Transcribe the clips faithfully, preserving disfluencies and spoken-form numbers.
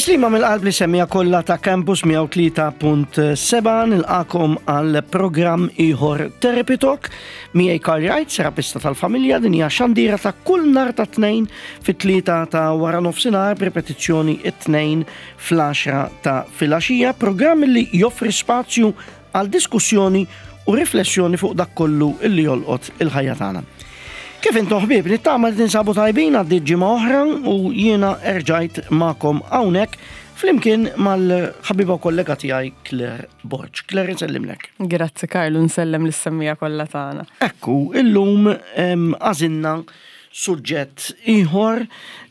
Tislima mill-qalb lis-semmiegħa kollha ta' Campus mija u tlieta punt seba', nilqagħkom għal programm ieħor Therapy Talk miegħi Karl Wright, terapista tal-familja. Din hija xandira ta' kull nhar ta' Tnejn fit-tlieta ta' wara nofsinhar, b'ripetizzjoni it-Tnejn fl-għaxra ta' filgħaxija, programm li joffri spazju għal diskussjoni u riflessjoni fuq dak kollu illi jolqot il-ħajja tagħna. Kif intom, ħbieb? Nittama li tinsabu tajbin. Għaddiet ġimgħa oħra u jiena erġajt magħkom hawnhekk flimkien mal-ħabiba u kollega tiegħi Claire Borg. Claire, nsellimlek. Grazzi, Karlu, nsellem lis-semmiegħa kollha tagħna. Ekku, illum għażilna suġġett ieħor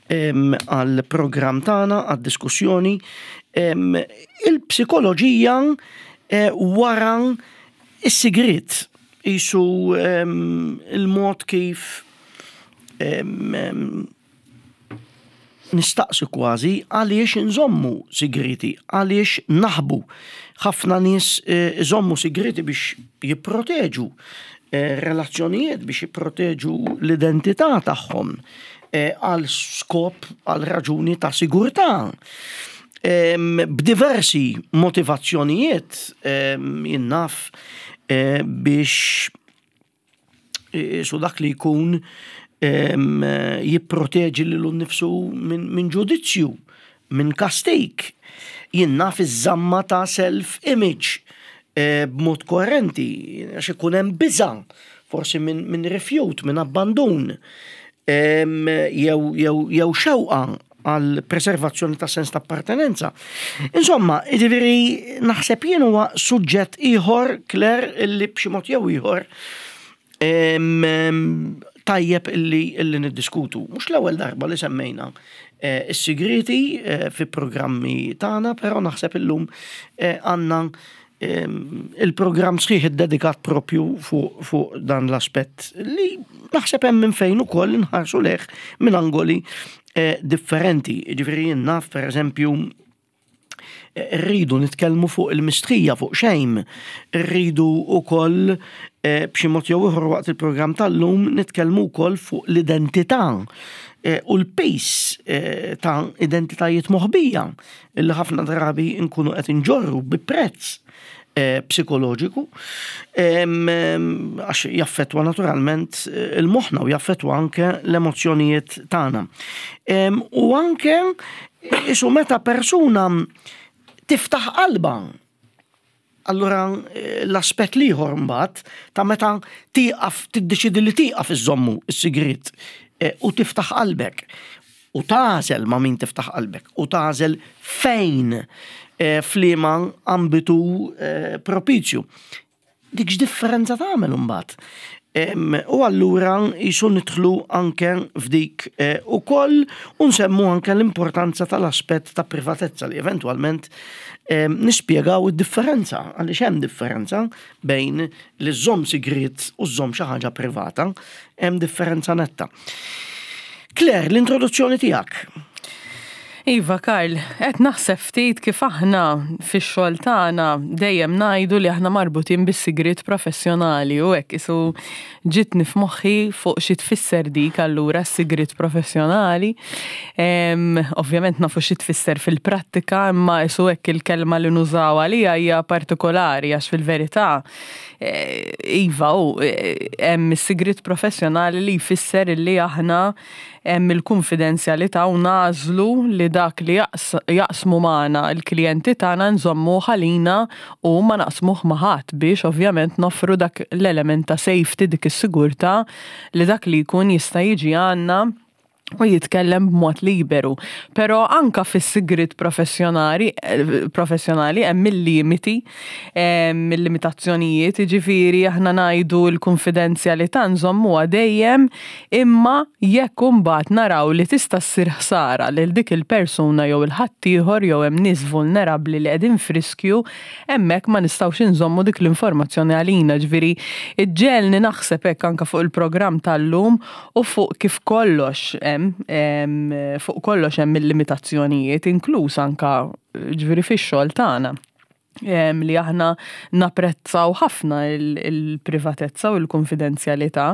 għal programm tagħna, għad diskussjoni, il-psikoloġija eh, wara is-sigriet, jisu il-mod kif nistaqsi kważi għaliex nżommu sigriti, għaliex naħbu. Ħafna nies eh, iżommu sigriti biex jipproteġu eh, relazzjonijiet, biex jipproteġu l-identità tagħhom eh, għal skop, għal raġuni ta' sigurtà. B'diversi motivazzjonijiet, jien naf, biex su dak li jkun jipproteġi lilu nnifsu minn ġudizzju, minn kastik. Jien naf, iż-żamma ta' self-image eh, b'mod koerenti, għax ikun hemm biża, forsi minn min rifjut, minn abbandun, jew jew xewqa għal preservazzjoni ta' sens ta' appartenenza. Insomma, jiġifieri naħseb jien huwa suġġett ieħor, Claire, illi b'xi mod jew ieħor tajjeb illi, illi niddiskutu. Mhux l-ewwel darba li semmejna eh, is-sigriti eh, fi programmi tagħna, però naħseb illum eh, għandna il-programm sħiħ iddedikat propju fuq fu dan l-aspett li naħseb hemm minn fejn ukoll inħarsu lejh minn angoli differenti. Ġifieri jien naf, per eżempju, rridu nitkellmu fuq il-mistħija, fuq shame, rridu ukoll eh, b'xi mod jew ieħor waqt il-programm tal-lum nitkellmu wkoll fuq l-identità eh, u l-piż eh, ta' identitajiet moħbija illi ħafna drabi nkunu qed inġorru bi prezz psikoloġiku, għax jaffetwa naturalment il-moħna u jaffetwa anke l-emozjonijiet tagħna. U anke isu meta persuna tiftaħ qalba. Allura eh, l-aspett l-ieħor mbagħad ta' meta tieqaf, tiddeċidi li tieqaf iżommu is-sigriet eh, u tiftaħ qalbek u tagħżel ma' min tiftaħ qalbek u tagħżel fejn, eh, f'liema ambitu propizju. Dik x'differenza tagħmel imbagħad? U allura jisu nidħlu anke f'dik eh, ukoll u nsemmu anke l-importanza tal-aspett ta' privatezza li eventwalment nispjegaw id-differenza, għaliex hemm differenza bejn li żżomm sigriet u żżomm xi ħaġa privata, hemm differenza netta. Claire, l-introduzzjoni tiegħek. Iva, Karl, qed naħseb ftit kif aħna fix-xogħol tagħna dejjem ngħidu li aħna marbutin bis-sigriet professjonali u hekk isu ġitni f'moħħi fuq xi tfisser dik allura s-sigriet professjonali. Ovvjament nafu xi tfisser fil-prattika, imma isu hekk il-kelma li nużaw għalija hija partikolari, għax fil-verità eh, iva u eh, hemm is-sigriet professjonali li jfisser li aħna hemm il-konfidenzjalità u nagħżlu li dak li jaqsmu magħna l-klijenti tagħna nżommu għalina u ma naqsmuh ma' ħadd biex ovvjament noffru dak l-element ta' safety, dik is-sigurtà li dak li jkun jista' jiġi għandna u jitkellem b'mod liberu. Però anka fis-sigriet professjonali professjonali hemm il-limiti, hemm il-limitazzjonijiet, jiġifieri aħna ngħidu l-konfidenzjalità nżommuha dejjem, imma jekk imbagħad naraw li tista' ssir ħsara lil dik il-persuna jew il-ħaddieħor jew hemm nies vulnerabbli li qegħdin f'riskju, hemmhekk ma nistgħux inżommu dik l-informazzjoni għalina. Ġifieri iġġegħelni naħseb hekk anka fuq il-programm tal-lum u fuq kif kollox hemm fuq kollox hemm il-limitazzjonijiet, inkluż anka ġifieri fix-xogħol tagħna. Li aħna napprezzaw ħafna il-privatezza u l-konfidenzjalità.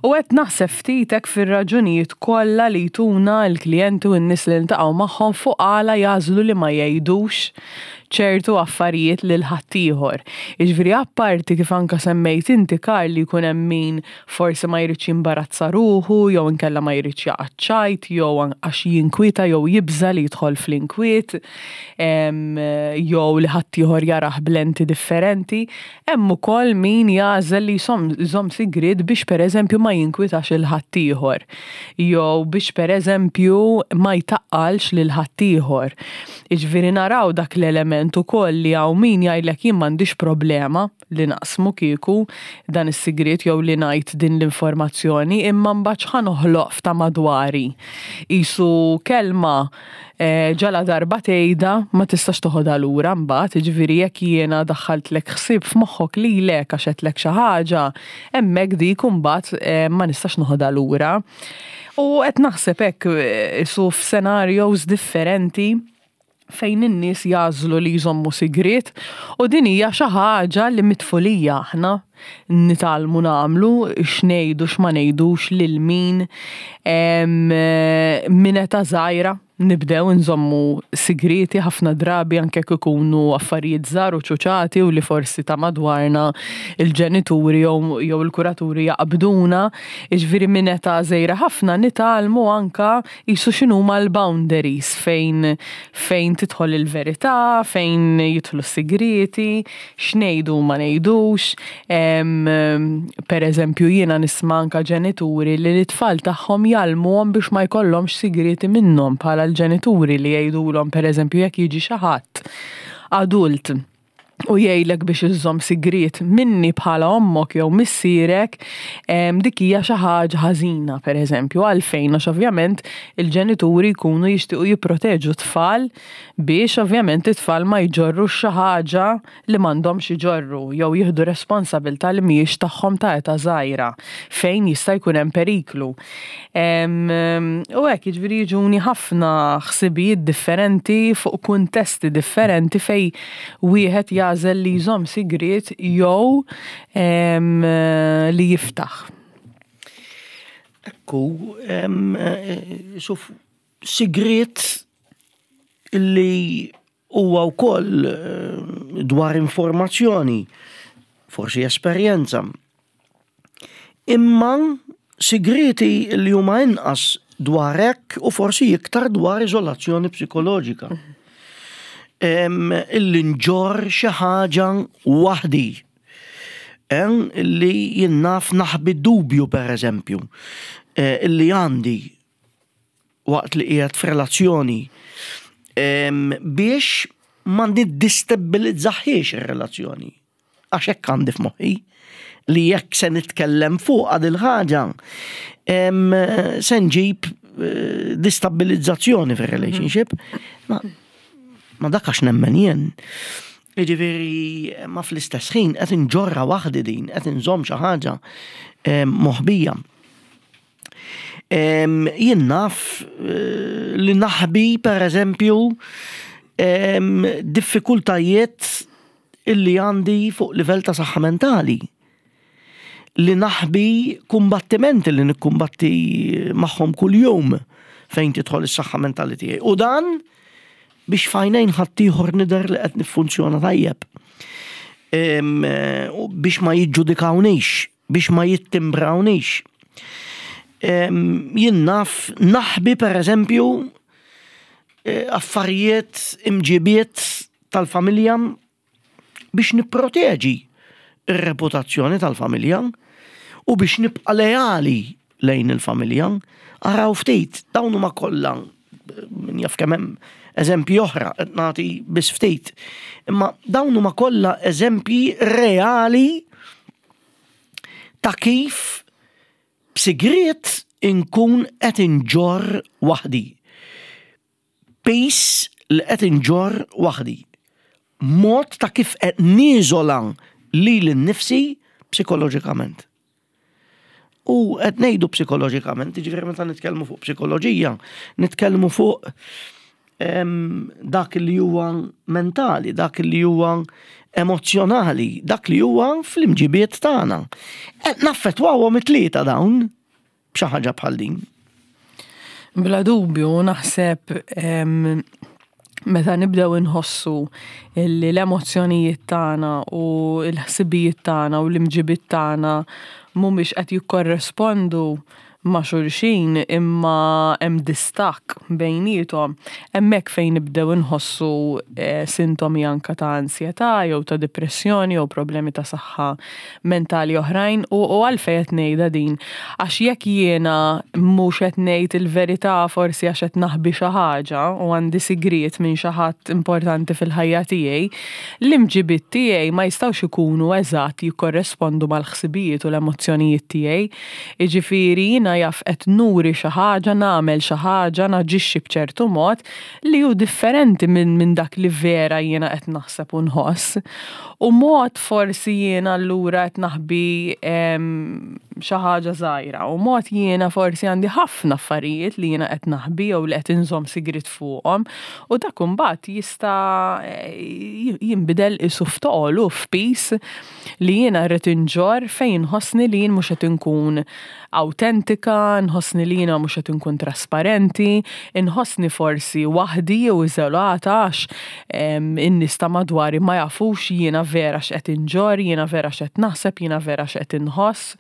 U qed naħseb ftitek fir-raġunijiet kollha li jtuna l-klijenti u n-nies li niltaqgħu magħhom fuq għala jagħżlu li ma jgħidux ċertu affarijiet lil ħaddieħor. Jiġifieri, apparti kif anka semmejt inti, Karl, li jkun hemm min forsi ma jridx jimbarazza ruħu jew inkella ma jridx jaqa' ċajt jew għax jinkwieta jew jibża li jidħol fl-inkwiet jew li ħaddieħor jarah b'lenti differenti, hemm ukoll min jagħżel li jżomm sigriet biex, pereżempju, ma jinkwitax lil ħaddieħor jew biex, pereżempju, ma jtaqqalx lil ħaddieħor. Jiġifieri naraw dak l-element ukoll li hawn min jgħidlek: "Jien m'għandix problema li naqsmu kieku dan is-sigriet jew li ngħid din l-informazzjoni, imma mbagħad x'ħa noħloq f'ta' madwari?" Qisu kelma eh, ġala darba tgħidha ma tistax toħodha lura mbagħad, jiġifieri jekk jiena daħħaltlek ħsieb f'moħħok lilek għax għedtlek xi ħaġa, hemmhekk dik imbagħad eh, ma nistax noħodha lura. U qed naħseb hekk eh, su f'scenarios differenti fejn in-nies jagħżlu li jżommu sigriet, u din hija xi ħaġa li mit-tfulija aħna nitgħallmu nagħmlu, x'ngħidu, x'ma ngħidux, lil min. Minn età żgħira nibdew nżommu sigriti ħafna drabi, anke ikunu affarijiet żgħar u ċuċati u li forsi ta' madwarna, il-ġenituri jew jew il-kuraturi jaqbduna. Jiġifieri minn età żgħira ħafna nitgħallmu anka qisu x'inhuma l-boundaries fejn fejn tidħol il-verità, fejn jidħlu s-sigriti, x'ngħidu u ma ngħidux. Per eżempju, jiena nisma' anka ġenituri li l-tfal tagħhom jgħallmuhom biex ma jkollhomx sigriti minnhom bħala l-ġenituri, li jgħidulhom, pereżempju, jekk jiġi xi ħadd adult u jgħidlek biex iżżomm sigriet minni bħala ommok jew missierek, dik hija xi ħaġa ħażina, pereżempju. Għalfejn? Għax ovvjament il-ġenituri jkunu jixtiequ jipproteġu tfal biex ovvjament it-tfal ma jġorrux xi ħaġa li m'għandhomx iġorru jew jieħdu responsabilità li mhijiex tagħhom ta' età żgħira fejn jista' jkun hemm periklu. U hekk, jiġifieri jiġuni ħafna ħsibijiet differenti fuq kuntesti differenti fejn wieħed jagħżel li jżomm sigriet jew li jiftaħ. Ekku, suf, sigriet illi huwa wkoll eh, dwar informazzjoni, forsi esperjenza. Imma sigriti li huma inqas dwar hekk u forsi iktar dwar izolazzjoni psikoloġika. Illi nġorr xi ħaġa waħdi. Illi jien naf naħbi dubju, per eżempju, eh, illi għandi waqt li qiegħed f'relazzjoni biex ma niddistabbilizzaħiex ir-relazzjoni. Għax hekk għandi f'moħħi li jekk se nitkellem fuq għad il-ħaġa se nġib eh, distabbilizzazzjoni fir-relationship. Ma, ma dak għax nemmen jien. Jiġifieri, ma fl-istess ħin qed inġorra waħdi din, qed inżomm xi ħaġa moħbija. Jien naf eh, li naħbi, per eżempju, diffikultajiet illi għandi fuq livell ta' saħħa mentali. Li naħbi kumbattimenti li nikkumbatti magħhom kuljum fejn tidħol is-saħħa mentali tiegħi. U dan biex f'għajnejn ħaddieħor nidher li qed niffunzjona tajjeb. Biex ma jiġġudikawnix, biex ma jittimbrawniex. Jien naf naħbi, per eżempju, eh, affarijiet, imġibiet tal-familja biex nipproteġi ir-reputazzjoni tal-familja u biex nibqa' leali lejn il-familja. Araw ftit, dawn huma kollha, min jaf kemm hemm eżempji oħra, qed nagħti biss ftit. Imma dawn huma kollha eżempji reali ta' kif b'sigriet inkun qed inġorr waħdi. Piż li qed inġorr waħdi. Mod ta' kif qed niżola lili nnifsi psikoloġikament. U qed ngħidu psikoloġikament, jiġifieri meta nitkellmu fuq psikoloġija, nitkellmu fuq Dak li huwa mentali, dak li huwa emozjonali, dak li huwa fl-imġibiet tagħna. Qed naffettwawhom it-tlieta dawn b'xi ħaġa bħal din. Bla dubju, naħseb meta nibdew inħossu li l-emozzjonijiet tagħna u l-ħsibijiet tagħna u l-imġibiet tagħna mhumiex qed jikkorrespondu ma' xulxin, imma hemm distakk bejniethom, hemmhekk fejn nibdew inħossu eh, sintomi anka ta' ansjetà jew ta' depressjoni jew problemi ta' saħħa mentali oħrajn. U, u għalfejn qed ngħidha din? Għax jekk jiena mhux qed ngħid il-verità, forsi għax qed naħbi xi ħaġa u għandi sigriet minn xi ħadd importanti fil-ħajja tiegħi, l-imġibiet tiegħi ma jistgħux ikunu eżatt jikkorrespondu mal-ħsibijiet u l-emozzjonijiet tiegħi. Jiġifieri jiena jaf qed nuri xi ħaġa, nagħmel xi ħaġa, naġixxi b'ċertu mod li hu differenti minn min dak li vera jiena qed naħseb u nħoss. U mod forsi jiena allura qed naħbi xi ħaġa żgħira u mod jiena forsi għandi ħafna affarijiet li jiena qed naħbi jew li qed inżomm sigriet fuqhom, u dak imbagħad jista' jinbidel isu f'toqol u f'piż li jiena rrid inġorr, fejn nħossni li jien mhux qed inkun awtentika, nħossni li jiena mhux qed inkun trasparenti, inħossni forsi waħdi jew iżolata għax in-nies ta' madwari ma jafux jiena vera x'qed inġorr, jiena vera x'qed naħseb, jiena vera x'qed inħoss.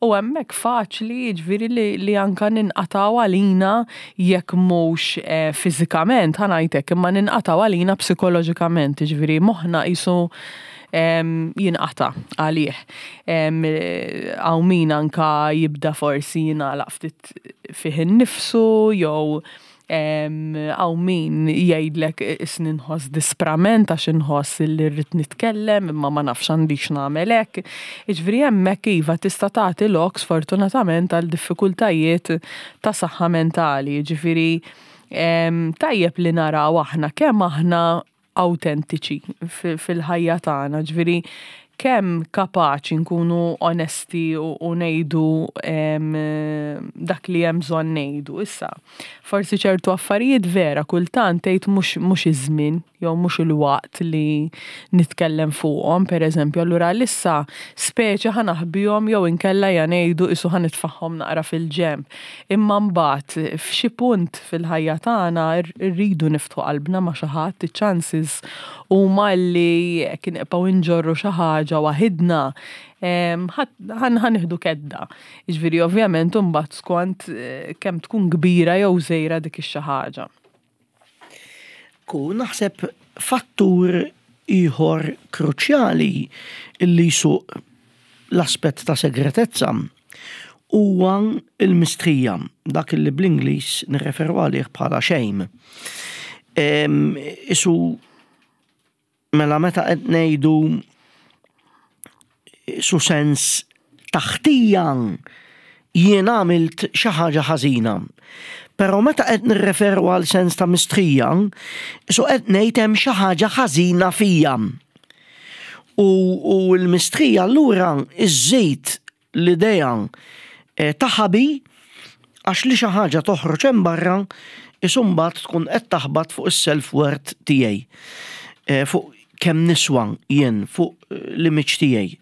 U hemmhekk faċli, jiġifieri, li, li anka ninqataw għalina, jekk mhux eh, fiżikament, ħa ngħidlek, imma ninqataw għalina psikoloġikament, jiġifieri moħħna qisu jinqata għalih. Hawn min anka jibda forsi jingħalaq ftit fih innifsu jew hawn min jgħidlek isni nħoss disprament għax inħoss li rrid nitkellem imma ma nafx għandix nagħmel hekk. Jiġifieri hemmhekk iva, tista' tagħti lok sfortunatament għal diffikultajiet ta' saħħa mentali. Jiġifieri tajjeb li naraw aħna kemm aħna autentiċi fil-ħajja tagħna, ġifieri kemm kapaċi nkunu onesti u, u ngħidu dak li hemm bżonn ngħidu. Issa, forsi ċertu affarijiet vera kultant tgħid mhux mhux iż-żmien jew mhux il-waqt li nitkellem fuqhom, pereżempju, allura issa speċi ħa naħbihom jew inkella ja ngħidu isu ħa nitfagħhom naqra fil-ġenb. Imma mbagħad f'xi punt fil-ħajja tagħna rridu niftħu qalbna ma' xi ħadd, iċ-chances huma li jekk nibqgħu nġorru xi ħaġa waħidna ħa nieħdu kedda. Jiġifieri ovvjament imbagħad skont eh, kemm tkun kbira jew żgħira dik ix-xi ħaġa. Ku naħseb fattur ieħor kruċjali illi jsuq l-aspett ta' segretezza huwa il-mistrija, dak li bl-Ingliż nirreferu għalih bħala shame. Isu mela meta qed ngħidu su sens ta' ħtija, jien għamilt xi ħaġa ħażina. Però meta qed nirreferu għal sens ta' mistrija, su qed ngħid hemm xi ħaġa ħażina fija. U, u l-mistrija allura iżżid l-idea eh, ta' ħabi, għax li xi ħaġa toħroġ hemm barra isu mbagħad tkun qed taħbat fuq is-self-worth tiegħi. Eh, fuq kemm niswa jien, fuq l-image tiegħi.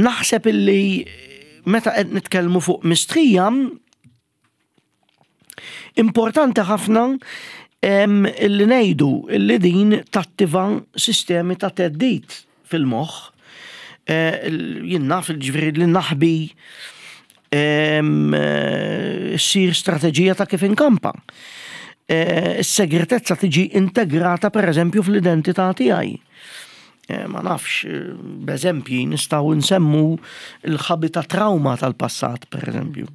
Naħseb illi meta qed nitkellmu fuq mistrija, importanti ħafna illi ngħidu illi din tattiva sistemi ta' theddid fil-moħħ. Eh, jien naf, ġifieri li naħbi ssir strateġija ta' kif inkampa. Eh, is-segretezza tiġi integrata, per eżempju, fl-identità tiegħi. Eh, ma nafx, b'eżempji nistgħu nsemmu l-ħabi ta' trauma tal-passat, per eżempju,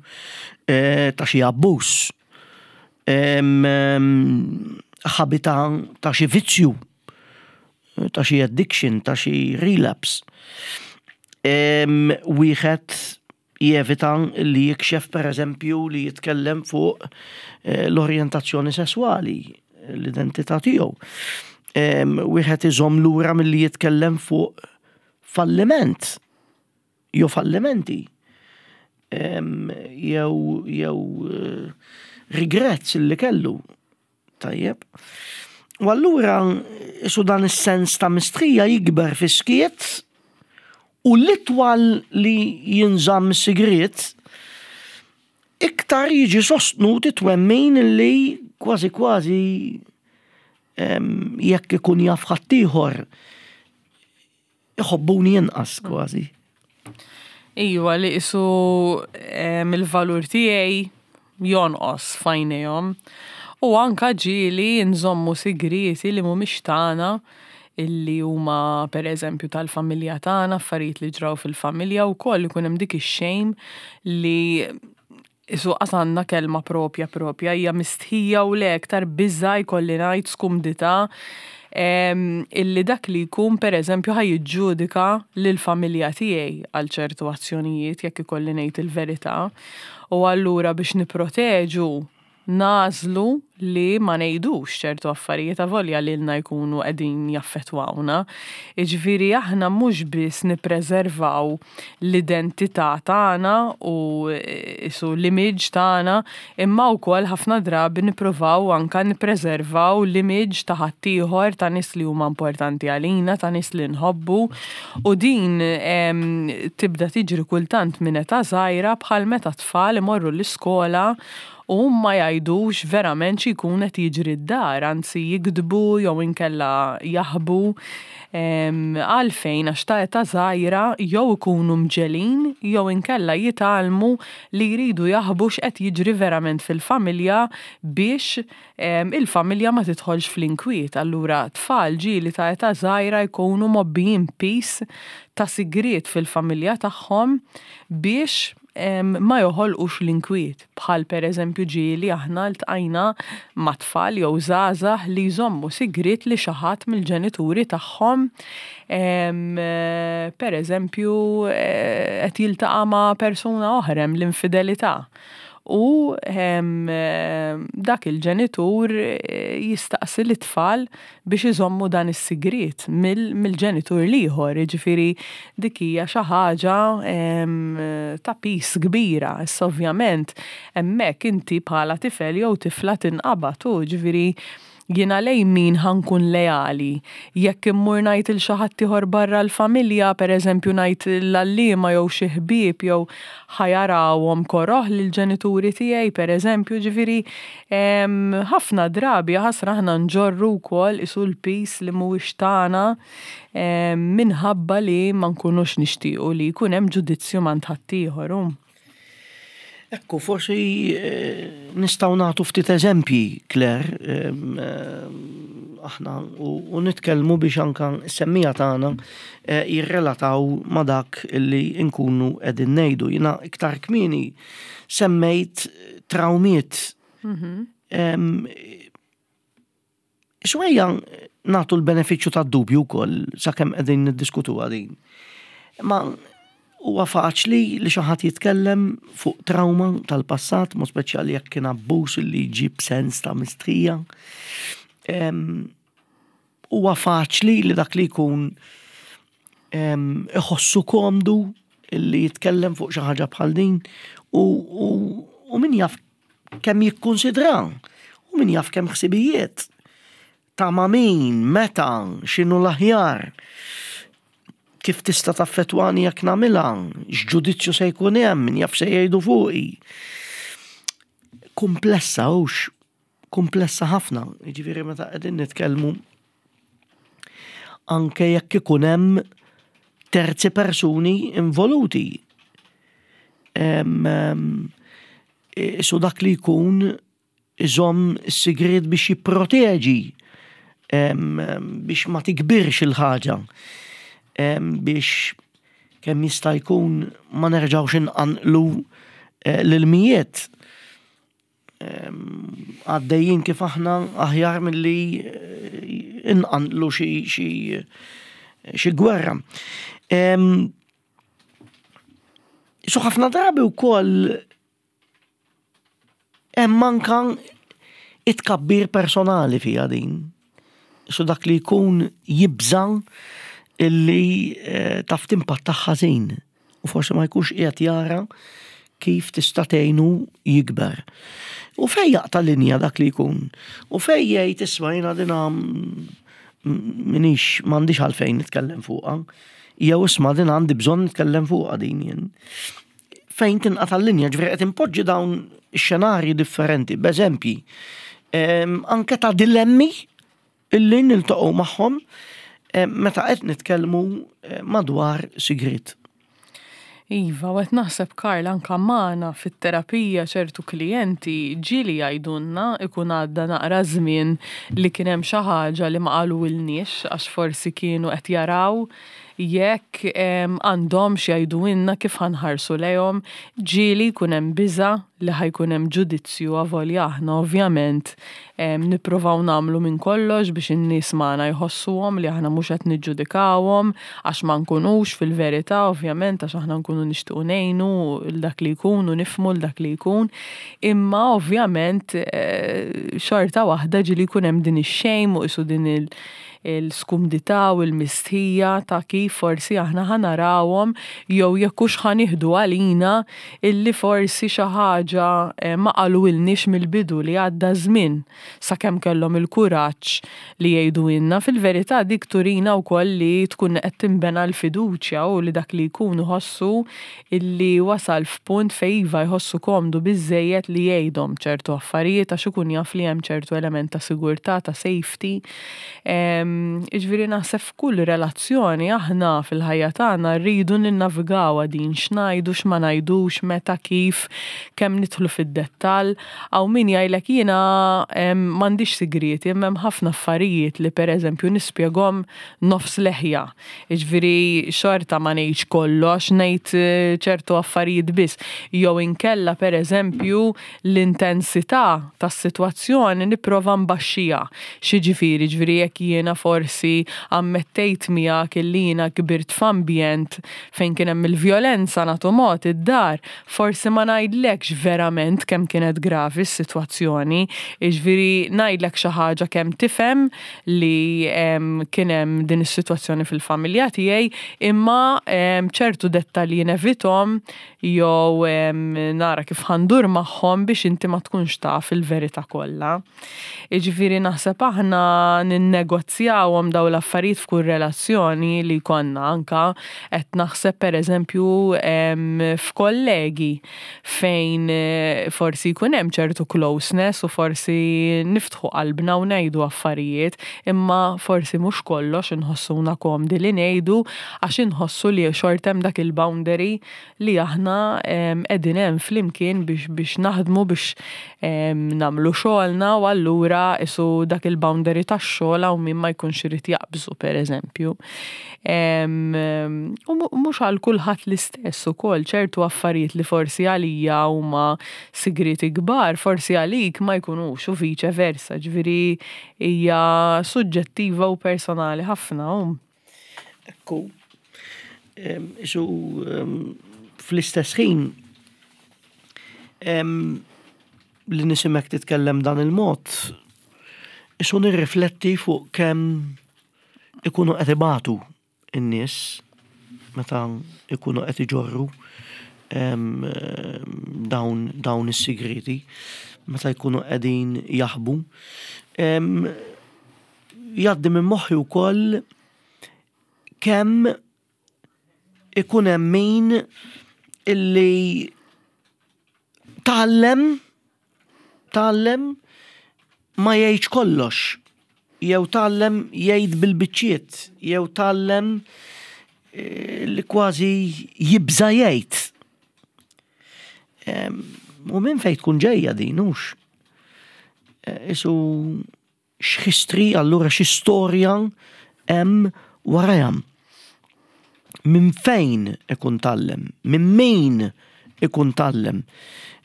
ta' xi abbuż, ħabi ta' xi vizzju, ta' xi addiction, ta' xi relapse. Wieħed jevita li jikxef, per eżempju, li jitkellem fuq eh, l-orjentazzjoni sessuali, l-identità tiegħu. Wieħed iżomm lura milli jitkellem fuq falliment jew fallimenti jew jew eh, regrets li kellu. Tajjeb. U allura isu dan is-sens ta' mistħija jikber fis-skiet u l-itwal li jinżamm is-sigriet iktar jiġi sostnut it-twemmin li kważi kważi jekk ikun jaf ħaddieħor iħobbuni inqas kważi. Iva, li isu il-valur tiegħi jonqos f'għajnejhom. U anka ġieli nżommu sigrieti li mhumiex tagħna, illi huma per eżempju tal-familja tagħna, affarijiet li ġraw fil-familja, wkoll ikun hemm dik ix-shame li isu qasanna kelma propja propja, hija mistħija u le aktar biża' jkolli ngħid, skumdità, illi dak li jkun per eżempju ħa jiġġudika lill-familja tiegħi għal ċertu azzjonijiet jekk ikolli ngħid il-verità. U allura biex nipproteġu nagħżlu li ma ngħidux ċertu affarijiet avolja lilna jkunu qegħdin jaffettwawna. Jiġifieri aħna mhux biss nippreservaw l-identità tagħna u isu l-image tagħna, imma wkoll ħafna drabi nippruvaw anka nippreservaw l-image ta' ħaddieħor, ta' nies li huma importanti għalina, ta' nies li nħobbu. U din tibda tiġri kultant minn età żgħira, bħal meta tfal imorru l-iskola u ma jgħidux verament xi jkun qed jiġri d-dar, anzi jikdbu jew inkella jaħbu. Għalfejn? Għax ta' età żgħira jew ikunu mġegħlin jew inkella jitgħallmu li jridu jaħbu x'qed jiġri verament fil-familja biex il-familja ma tidħolx fl-inkwiet. Allura tfal ġieli ta' età żgħira jkunu mgħobbijin piż ta' sigriet fil-familja tagħhom biex ma joħolqux l-inkwiet. Bħal per eżempju ġieli aħna ltqajna ma' tfal jew żgħażagħ li jżommu sigriet li xi ħadd mill-ġenituri tagħhom per eżempju qed jiltaqa' ma' persuna oħra, hemm l-infidelità. U dak il-ġenitur jistaqsi l-tfal biex iżommu dan is-sigriet mill-ġenitur l-ieħor, jiġifieri dik hija xi ħaġa ta' piż kbira. Issa ovvjament hemmhekk inti bħala tifel jew tifla tinqabad u jiġifieri jiena lejn min ħa nkun leali. Jekk immur ngħid il xi ħadd ieħor barra l-familja, per eżempju ngħid l-għalliema jew xi ħbieb, jew ħa jarawhom koroh lill-ġenituri tiegħi, per eżempju, ġifieri ħafna drabi ħasra aħna nġorru wkoll isu l-piż li mhuwiex tagħna minħabba li ma nkunux nixtiequ li jkun hemm ġudizzju m'għand ħaddieħor. Ekku, forsi nistgħu nagħtu ftit eżempji, Claire, aħna u nitkellmu biex anka s-semmiegħa tagħna jirrelataw ma' dak li nkunu qegħdin ngħidu. Jiena iktar kmieni semmejt trawmiet. Xwejja nagħtu l-benefiċċju tad-dubju wkoll sakemm qegħdin niddiskutu din. Ma huwa faċli li xi ħadd jitkellem fuq trauma tal-passat, mod speċjali jekk kien abbuż li jġib sens ta' mistħija. Huwa faċli li dak li jkun iħossu komdu li jitkellem fuq xi ħaġa bħal din u, u, u min jaf kemm jikkonsidra u min jaf kemm ħsibijiet ta' ma' min, meta, x'inhu l-aħjar, kif tista' taffettwani jekk nagħmilha, x'ġudizzju se jkun hemm, min jaf se jgħidu fuqi. Komplessa hux, komplessa ħafna, jiġifieri meta qegħdin nitkellmu anke jekk ikun hemm terzi persuni involuti. Su dak li jkun iżomm is-sigriet biex jipproteġi, biex ma tikbirx il-ħaġa, biex kemm jista' jkun ma nerġgħux inqanqlu l-ilmijiet. Għaddejjin kif aħna aħjar milli inqanqlu xi gwerra. Su ħafna drabi wkoll hemm anka it-tkabbir personali fiha din. Su dak li jkun jibża' illi taf timpatta ħażin u forsi ma jkunx qiegħed jara Kif tista' tgħinu jikber? U fej jaqta' linja dak li jkun? U fej jgħid, "Isma', jiena dina minix, m'għandix għalfejn nitkellem fuqha. Jew isma', din għandi bżonn nitkellem fuqha din jien." Fejn tinqata' l-linja? Ġifieri qed impoġġi dawn xenarji differenti, b'eżempji, anke ta' dilemmi illi niltaqgħu magħhom meta qed nitkellmu madwar sigrit. Iva, u qed naħseb, Karl, anka magħna fit-terapija ċertu klijenti ġieli jgħidulna ikun għadda naqra żmien li kien hemm xi ħaġa li ma qalulniex għax forsi kienu qed jaraw jekk għandhomx jgħidulna, kif ħa nħarsu lejhom. Ġieli jkun hemm biża li ħa jkun hemm ġudizzju, avolja aħna ovvjament nippruvaw nagħmlu minn kollox biex in-nies magħna jħossuhom li aħna mhux qed niġġudikawhom, għax ma nkunux fil-verità, ovvjament, għax aħna nkunu nixtiequ ngħinu l dak li jkun u nifhmu l dak li jkun. Imma ovvjament eh, xorta waħda ġieli jkun hemm din ix-shame u qisu din il- il-skumdità u l-mistħija ta' kif forsi aħna ħa narawhom jew jekk hux ħa nieħdu għalina illi forsi xi ħaġa eh, ma qalulniex mill-bidu, li għadda żmien sakemm kellhom il-kuraġġ li jgħidulna. Fil-verità dik turina wkoll li tkun qed tinbena l-fiduċja u li dak li jkun iħossu illi wasal f'punt fejn iva, jħossu komdu biżejjed li jgħidhom ċertu affarijiet għax ikun jaf li hemm ċertu element ta' sigurtà, ta' safety. Jiġifieri naħseb f'kull relazzjoni aħna fil-ħajja tagħna rridu ninnavigawha din, x'ngħidu, x'ma ngħidux, meta, kif, kemm nidħlu fid-dettall. Hawn min jgħidlek, "Jiena m'għandix sigrieti, imma hemm ħafna affarijiet li pereżempju nispjegahom nofs leħja. Jiġifieri xorta ma ngħidx kollox, ngħid eh, ċertu affarijiet biss." Jew inkella pereżempju l-intensità tas-sitwazzjoni nipprova nbaxxiha. X'jiġifieri? Ġifieri jekk jiena forsi ammettejt miegħek illi jiena kbirt f'ambjent fejn kien hemm il-vjolenza, nagħtu mod, id-dar, forsi ma ngħidlekx verament kemm kienet gravi s-sitwazzjoni, jiġifieri ngħidlek xi ħaġa kemm tifhem li kien hemm din is-sitwazzjoni fil-familja tiegħi, imma ċertu dettalji nevitahom jew nara kif ħa ndur magħhom biex inti ma tkunx taf il-verità kollha. Jiġifieri naħseb aħna ninnegozjawhom daw l-affarijiet f'kull relazzjoni li jkollna, anka qed naħseb pereżempju f'kollegi fejn eh, forsi jkun hemm ċertu closeness u forsi niftħu qalbna u ngħidu affarijiet, imma forsi mhux kollox inħossuna komdi li ngħidu għax inħossu li xorta hemm dak il-boundary li aħna qegħdin hemm flimkien biex biex naħdmu, biex nagħmlu xogħolna, u allura isu dak il-boundary tax-xogħol hawn min ma jkunx irid jaqbżu, pereżempju. U mhux għal kulħadd l-istess ukoll, ċertu affarijiet li forsi għalija huma sigriti kbar, forsi għalik ma jkunux u vice versa, ġifieri hija suġġettiva u personali ħafna. Ekku, isu fl-istess ħin li nisimek titkellem dan il-mod, isu nirrifletti fuq kemm ikunu qed ibatu in-nies meta ikunu qed iġorru dawn dawn is-sigriti, meta jkunu qegħdin jaħbu. Jgħaddi minn moħħi wkoll kemm ikun hemm min illi tgħallem tgħallem ma jgħidx kollox, jew tgħallem jgħid bil-biċċiet, jew tgħallem eh, li kważi jibża jgħid. U minn fejn tkun ġejja din, hux? Eh, isu x'history, allura xi storja hemm warajha? Minn fejn ikun tgħallem, minn min ikun tgħallem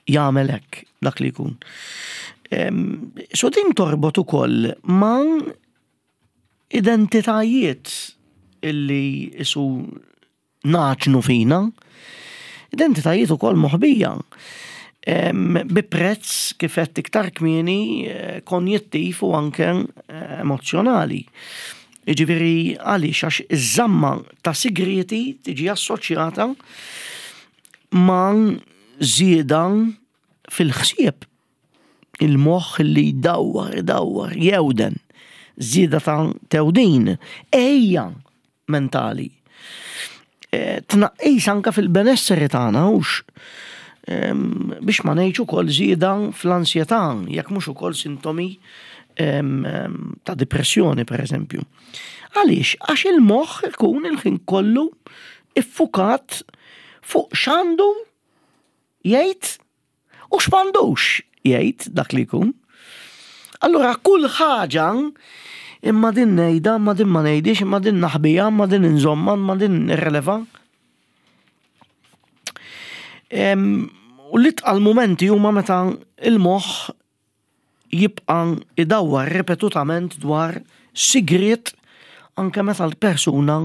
jagħmel hekk dak li jkun? So din torbot ukoll ma' identitajiet illi isu naġnu fina, identitajiet ukoll moħbija. Bi prezz, kif qed iktar kmieni, eh, konjettiv u anke eh, emozjonali. Jiġifieri għaliex? Għax iż-żamma ta' sigreti tiġi assoċjata ma' żieda fil-ħsieb, il-moħħ li jdawwar, idawwar, jewden, żieda ta' tewdin, ejja mentali. E, tnaqqis anka fil-benesseri tagħna hux biex ma ngħidx ukoll żieda fl-ansjetà, jekk mhux ukoll sintomi ta' depressjoni pereżempju. Għaliex? Għax il-moħħ ikun il-ħin kollu iffukat fuq x'għandu jgħid u x'm'għandux jgħid dak li jkun. Allura kull ħaġa imma din ngħidha, imma din ma ngħidix, imma din naħbija, imma din inżomma, imma din nirreleva. U l-itqal momenti huma meta il-moħħ jibqa' idawwar ripetutament dwar sigriet anke meta l-persuna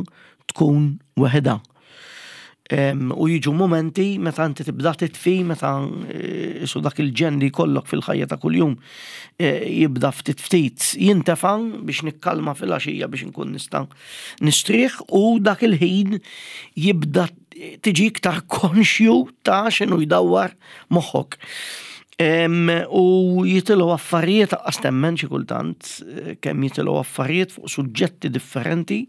tkun weħidha. U jiġu momenti meta inti tibda titfi, meta eh, su dak il-ġen li jkollok fil-ħajja ta' kuljum eh, jibda ftit ftit jintefa biex nikkalma fil-għaxija biex nkun nista' nistrieħ u dak il-ħin jibda tiġi iktar konxju ta' x'inhu jdawwar moħħok. U jitilgħu affarijiet aqqas temmen xi kultant eh, kemm jitilgħu affarijiet fuq suġġetti differenti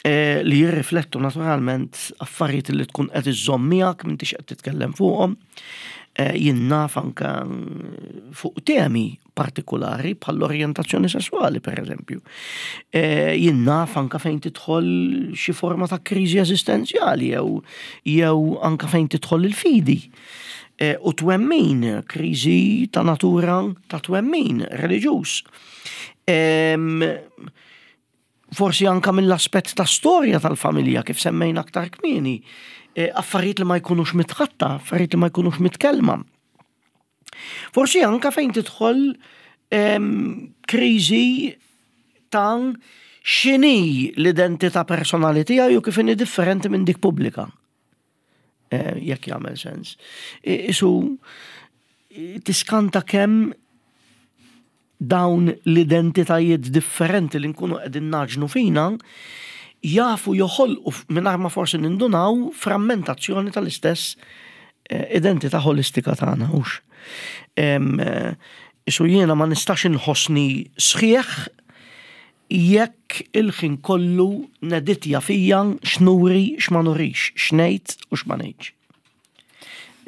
eh, li jirriflettu naturalment affarijiet li tkun qed iżżomm miegħek m'intix qed titkellem fuqhom. Eh, jien naf anke fuq temi partikolari bħall-orjentazzjoni sessuali per eżempju. Jien naf anke fejn tidħol xi forma ta' kriżi eżistenzjali jew jew anke fejn tidħol il-fidi. U twemmin, kriżi ta' natura ta' twemmin reliġjuż. Forsi anka mill-aspett ta' storja tal-familja kif semmejna aktar kmieni, affarijiet li ma jkunux mitħatta, affarijiet li ma jkunux mitkellma. Forsi anka fejn tidħol kriżi ta' x'inhi l-identità personali tiegħi u kif inhi differenti minn dik pubblika. Jekk jagħmel sens. Isu tiskanta kemm dawn l-identitajiet differenti li nkunu qegħdin naġnu fina jafu joħolqu mingħajr ma forsi nindunaw frammentazzjoni tal-istess identità holistika tagħna hux. Isu jiena ma nistax inħossni sħiħ jekk il-ħin kollu neditja fija x'nuri x'ma nurix, x'ngħid u x'ma ngħidx.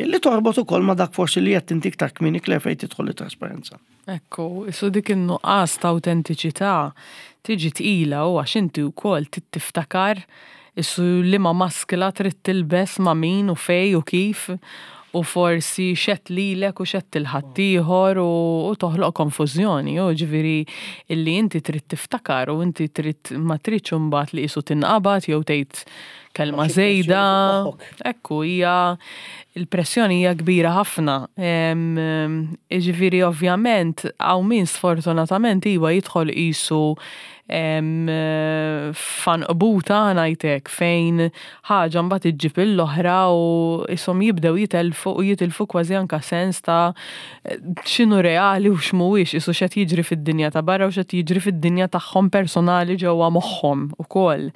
Li torbot ukoll ma dak forsi li qed inti iktar kmieni Claire fejn tidħol it-trasparenza. Ekku, isu dik in-nuqqas ta' autentiċità tiġi tqila u għax inti wkoll trid tiftakar isu liema maskla trid tilbes ma' min u fej u kif u forsi xet lilek u xet il-ħaddieħor u toħloq konfużjoni, u ġifieri illi inti trid tiftakar u inti trid ma tridx imbagħad li qisu tinqabad jew tgħid kelma żejda. Ekku, hija il-pressjoni hija kbira ħafna. Ġifieri ovvjament hawn min sfortunatament iva jidħol qisu fanqbuta ngħidlek fejn ħaġa mbagħad iġġib l-oħra u ishom jibdew jitelfu u jitilfu kważi anka sens ta' x'inhu reali u x'mhuwiex, isu x'qed jiġri fid-dinja ta' barra u x'qed jiġri fid-dinja tagħhom personali ġewwa moħħhom ukoll.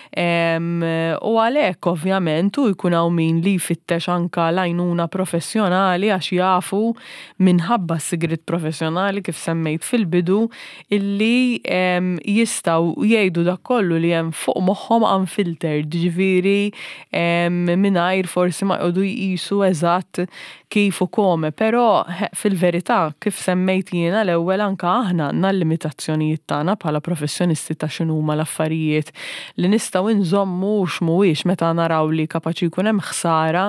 U għalhekk ovvjament u jkun hawn min li jfittex anka l-għajnuna professjonali għax jafu minħabba s-sigriet professjonali kif semmejt fil-bidu illi jistgħu jgħidu dak kollu li hemm fuq moħħhom unfiltered, ġifieri mingħajr forsi ma jqogħdu jqisu eżatt kif u kome, però fil-verità kif semmejt jiena l-ewwel anka aħna għandna l-limitazzjonijiet tagħna bħala professjonisti ta' x'inhuma l-affarijiet li nistgħu nżommu u x'mhuwiex meta naraw li kapaċi jkun hemm ħsara,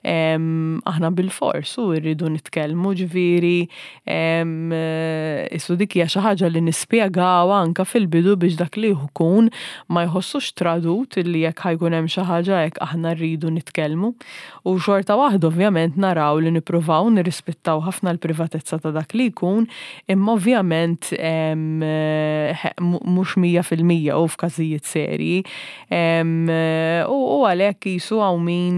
aħna bil-fors u rridu nitkellmu, ġifieri isu dik hija xi ħaġa li nispjegaw anka fil-bidu biex dak li jkun ma jħossux tradut illi jekk ħajkun hemm xi ħaġa hekk aħna rridu nitkellmu. U xorta waħda ovvjament naraw li nippruvaw nirrispettaw ħafna l-privatezza ta' dak li jkun, imma ovvjament mhux mija fil-mija u f'każijiet serji. U għalhekk qisu hawn min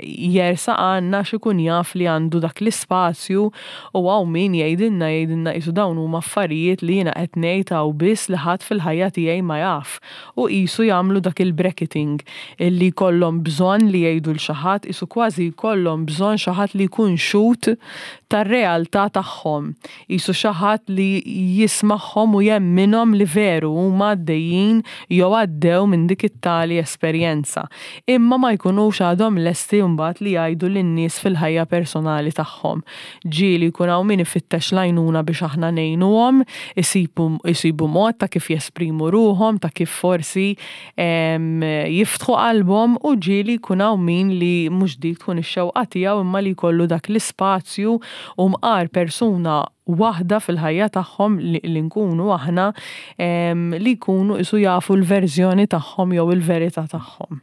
jersaq għandna x'ikun jaf li għandu dak l-ispazju u hawn min jgħidilna jgħidilna qisu dawn huma affarijiet li jiena qed ngħid hawn biss li ħadd fil-ħajja tiegħi ma jaf. U qisu jagħmlu dak il-bracketing illi jkollhom bżonn li jgħidu lil xi ħadd, qisu kważi jkollhom bżonn xi ħadd li jkun xhud tar-realtà tagħhom. Qisu xi ħadd li jismagħhom u jemminhom li veru huma għaddejjin jew għaddew minn dik it-tali esperjenza. Imma ma jkunux għadhom lesti mbagħad li jgħidu lin-nies fil-ħajja personali tagħhom. Ġieli jkun hawn min ifittex l-għajnuna biex aħna ngħinuhom, isibu, isibu mod ta' kif jesprimu ruħhom, ta' kif forsi em, jiftħu qalbhom u ġieli jkun hawn min li mhux dik tkun ix-xewqa tiegħu imma li jkollu dak l-ispazju u mqar persuna waħda fil-ħajja tagħhom li, li nkunu aħna em, li jkunu qisu jafu l-verżjoni tagħhom jew il-verità tagħhom.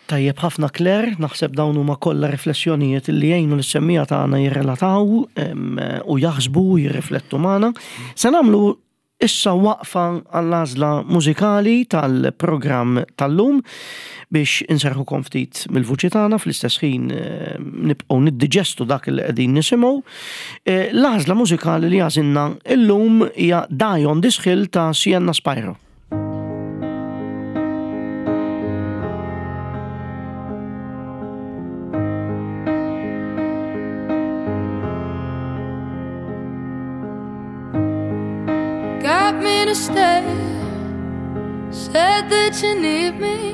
Tajjeb ħafna Claire, naħseb dawn huma kollha riflessjonijiet li jgħinu lis-semmiegħa tagħna jirrelataw em, u jaħsbu u jirriflettu magħna. Se nagħmlu issa waqfa għall-għażla mużikali tal-programm tal-lum biex inserħukom ftit mill-vuċi tagħna fl-istess ħin eh, nibqgħu niddiġestu dak li qegħdin nisimgħu. Eh, L-għażla mużikali li għażilna illum hija Die on This Hill ta' Sienna Spyro. Got me to stay. Said that you need me.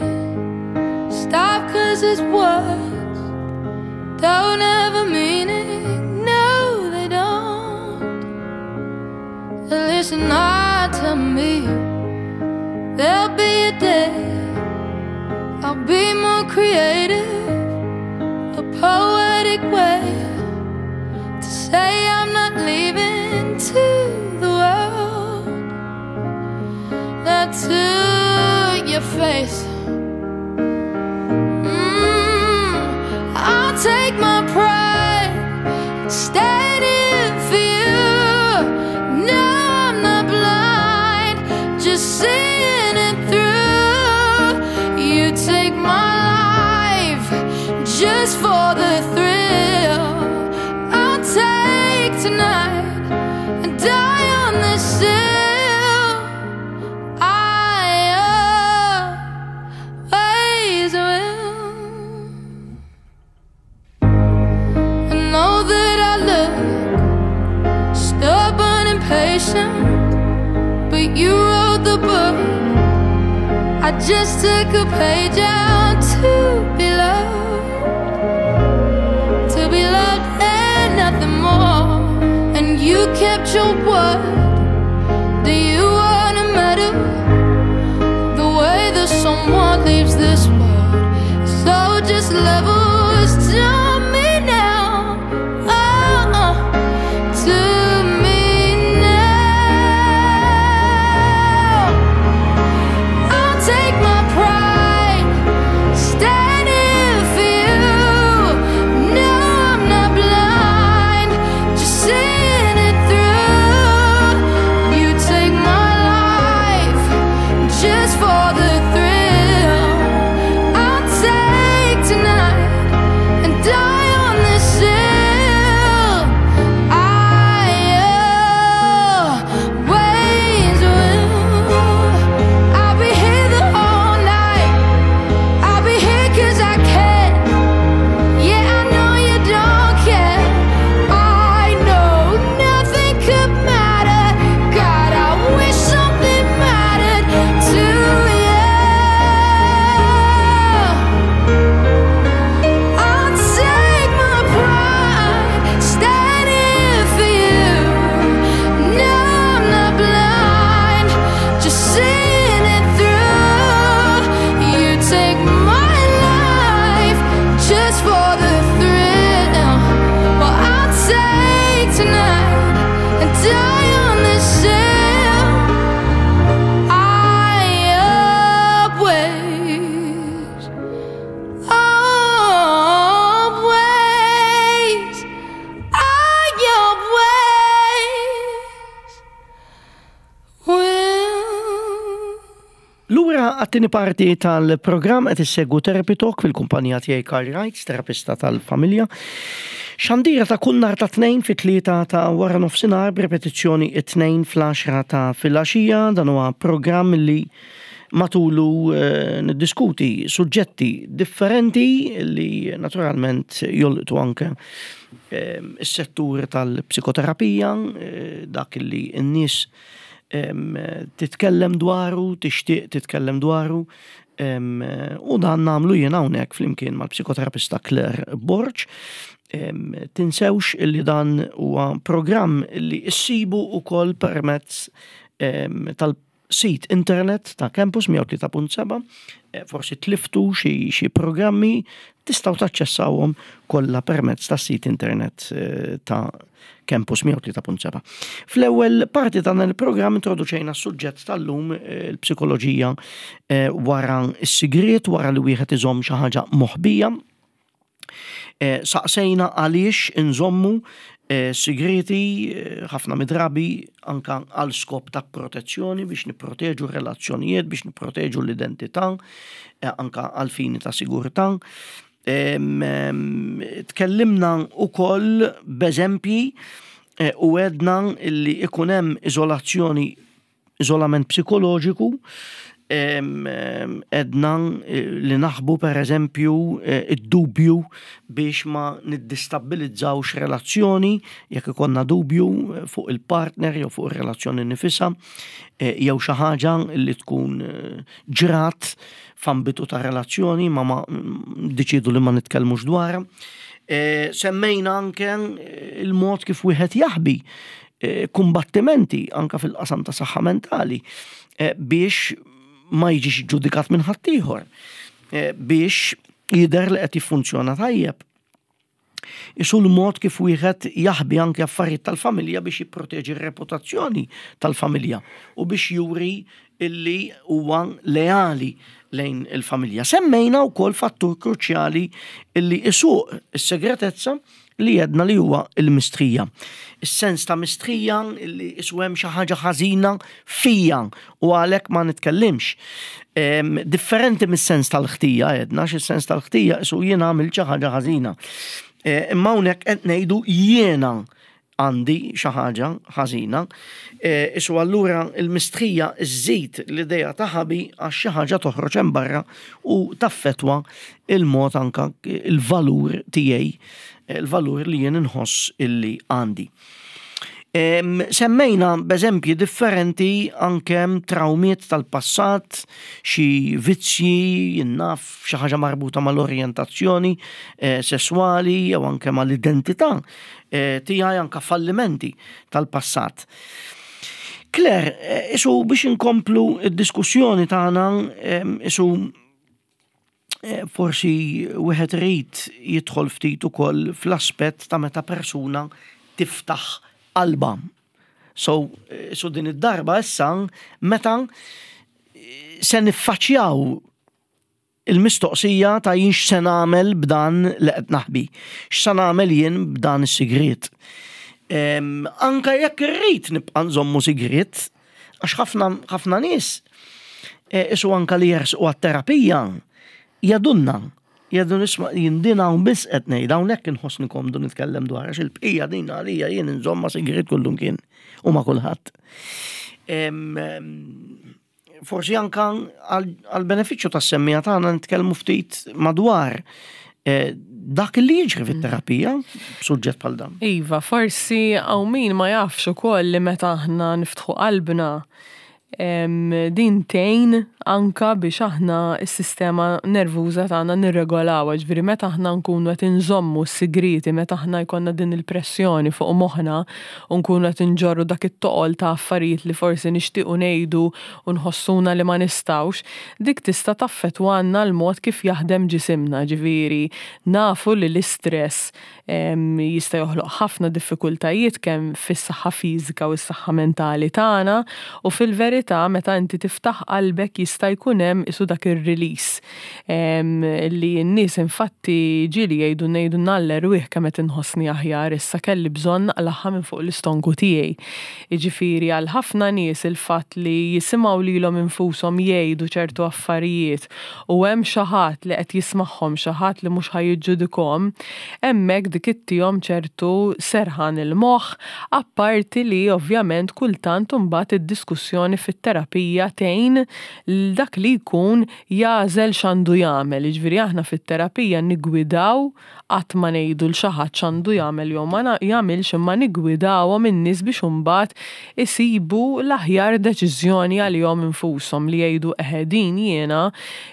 Stop cause it's words don't have a meaning. No, they don't. Listen hard to me. There'll be a day I'll be more creative, a poetic way to say I'm not leaving to the world, not to your face. Mm, I'll take my pride, stand here for you. No, I'm not blind, just seeing it through. You take my life just for the thrill. I'll take tonight and die on this hill. I always will. I know that I look stubborn and patient, but you wrote the book. I just took a page out to be loved, to be loved and nothing more. And you kept your word. Do you want a medal? The way that someone leaves this world, so just levels to me now. Oh, to me now. I'll take my pride, stand here for you. No, I'm not blind, just seeing it through. You take my life just for the thrill. Għat-tieni parti tal-programm. Qed issegwu Therapy Talk fil-kumpanija tiegħi Karl Wrights, terapista tal-familja. Xandira ta' kull nhar ta' Tnejn fit-tlieta ta' wara nofsinhar, b'repetizzjoni it-Tnejn fl-għaxra ta' filgħaxija. Dan huwa programm li matulu eh, niddiskuti suġġetti differenti li naturalment jolqtu anke eh, is-settur tal-psikoterapija, eh, dak li n-nies titkellem dwaru, tixtieq titkellem dwaru, u dan nagħmlu jien hawnhekk flimkien mal-psikoterapista Claire Borg. Tinsewx illi dan huwa programm li issibu ukoll permezz tal-sit internet ta' Campus mija u tlieta punt seba', eh, forsi tliftu xi programmi, tistgħu taċċessawhom kollha permezz tas sit internet eh, ta' Campus mija u tlieta punt seba'. Fl-ewwel parti ta' dan il-programm introduċejna s-suġġett tal-lum, eh, il-psikoloġija eh, wara s-sigriet, wara li wieħed iżomm xi ħaġa moħbija. Eh, saqsejna għaliex inżommu sigreti, ħafna midrabi anka għal skop ta' protezzjoni, biex nipproteġu relazzjonijiet, biex nipproteġu l-identità, anka għal fini ta' sigurtà. Tkellimna ukoll b'eżempji eh, u għedna li ikun hemm iżolazzjoni, iżolament psikoloġiku, għedna eh, li naħbu, per eżempju, eh, id-dubju biex ma niddistabbilizzawx relazzjoni, jekk ikollna dubju fuq il-partner jew fuq ir-relazzjoni nifisha jew xi ħaġa li tkun ġrat f'ambitu ta' relazzjoni ma ma deċidu li ma nitkellmux dwar. E, semmejna anke il-mod kif wieħed jaħbi e, kumbattimenti anka fil-qasam ta' saħħa mentali e, biex ma jiġix ġudikat minn ħaddieħor, biex jidher li qed jiffunzjona tajjeb. Isu l-mod kif wieħed jaħbi anke affarijiet tal-familja biex jipproteġi r-reputazzjoni tal-familja u biex juri illi huwa leali lejn il-familja. Semmejna wkoll fattur kruċjali illi isuq is-segretezza, li għedna li huwa il-mistħija. Is-sens ta' mistħija illi isu hemm xi ħaġa ħażina fija u għalhekk ma nitkellimx. Em, Differenti mis-sens tal-ħtija, għedna, xi sens tal-ħtija isu jiena għamilt xi ħaġa ħażina. E, Imma hawnhekk qed ngħidu jiena għandi xi ħaġa ħażina. E, Isu allura il-mistħija żżid l-idea ta' ħabi għax xi ħaġa toħroġ hemm barra u taffetwa il-mod anka il-valur tiegħi, il-valur li jien inħoss illi għandi. Em, Semmejna b'eżempji differenti anke traumiet tal-passat, xi vizzji, jien naf, xi ħaġa marbuta mal-orjentazzjoni eh, sessuali jew anke mal-identità eh, tiegħi, anke fallimenti tal-passat. Claire, eh, isu biex inkomplu id-diskussjoni tagħna, em, isu eh, forsi wieħed irid jidħol ftit ukoll fl-aspett ta' meta persuna tiftaħ qalba. So, eh, so din id-darba issa meta eh, se niffaċċjaw il-mistoqsija ta' jien x'se nagħmel b'dan li qed naħbi. X'se nagħmel jien b'dan is-sigriet. Em, Anka jekk irrid nibqa' nżommu sigriet, għax ħafna ħafna nies eh, isu anka li jersqu għat-terapija jgħidulna. Jgħidu, "Isma', jien din hawn biss qed ngħid, hawnhekk inħossni komdu nitkellem dwar, għax il-bqija din għalija jien inżomma sigriet kullum kien u ma' kulħadd." Em, em, Forsi anka għal benefiċċju tas-semmiegħa tagħna nitkellmu ftit madwar eh, dak li jiġri fit-terapija b'suġġett bħal dan. Iva, forsi hawn min ma jafx ukoll li meta aħna niftħu qalbna, em, din tgħin anka biex aħna s-sistema nervuża tagħna nirregolawha, ġifieri meta aħna nkunu qed inżommu s-sigriti, meta aħna jkollna din il-pressjoni fuq moħħna u nkunu qed inġorru dak it-toqol ta' affarijiet li forsi nixtiequ ngħidu u nħossuna li ma nistgħux, dik tista' taffettwanna l-mod kif jaħdem ġisimna, ġifieri nafu li l-istress em, jista' joħloq ħafna diffikultajiet kemm fis-saħħa fiżika u s-saħħa mentali tagħna, u fil-verità Fil-verità, meta inti tiftaħ qalbek, jista' jkun hemm isu dak ir-release li n-nies infatti ġieli jgħidu ngħidu nallerwih kemm qed inħossni aħjar issa, kelli bżonn naqlagħha minn fuq l-istonku tiegħi. Jiġifieri għal ħafna nies il-fatt li jisimgħu lilhom infushom jgħidu ċertu affarijiet u hemm xi ħadd li qed jismagħhom, xi ħadd li mhux ħa jiġġudikahom, hemmhekk dik ittihom ċertu serħan il-moħħ, apparti li ovvjament kultant imbagħad id-diskussjoni fit-terapija tgħin dak li jkun jagħżel x'għandu jagħmel. Jiġifieri aħna fit-terapija nigwidaw, qatt ma ngħidu lil xi ħadd x'għandu jagħmel jew ma jagħmilx, imma nigwidawhom in-nies biex imbagħad isibu l-aħjar deċiżjoni għalihom infushom, li jgħidu: "Eħe, din jiena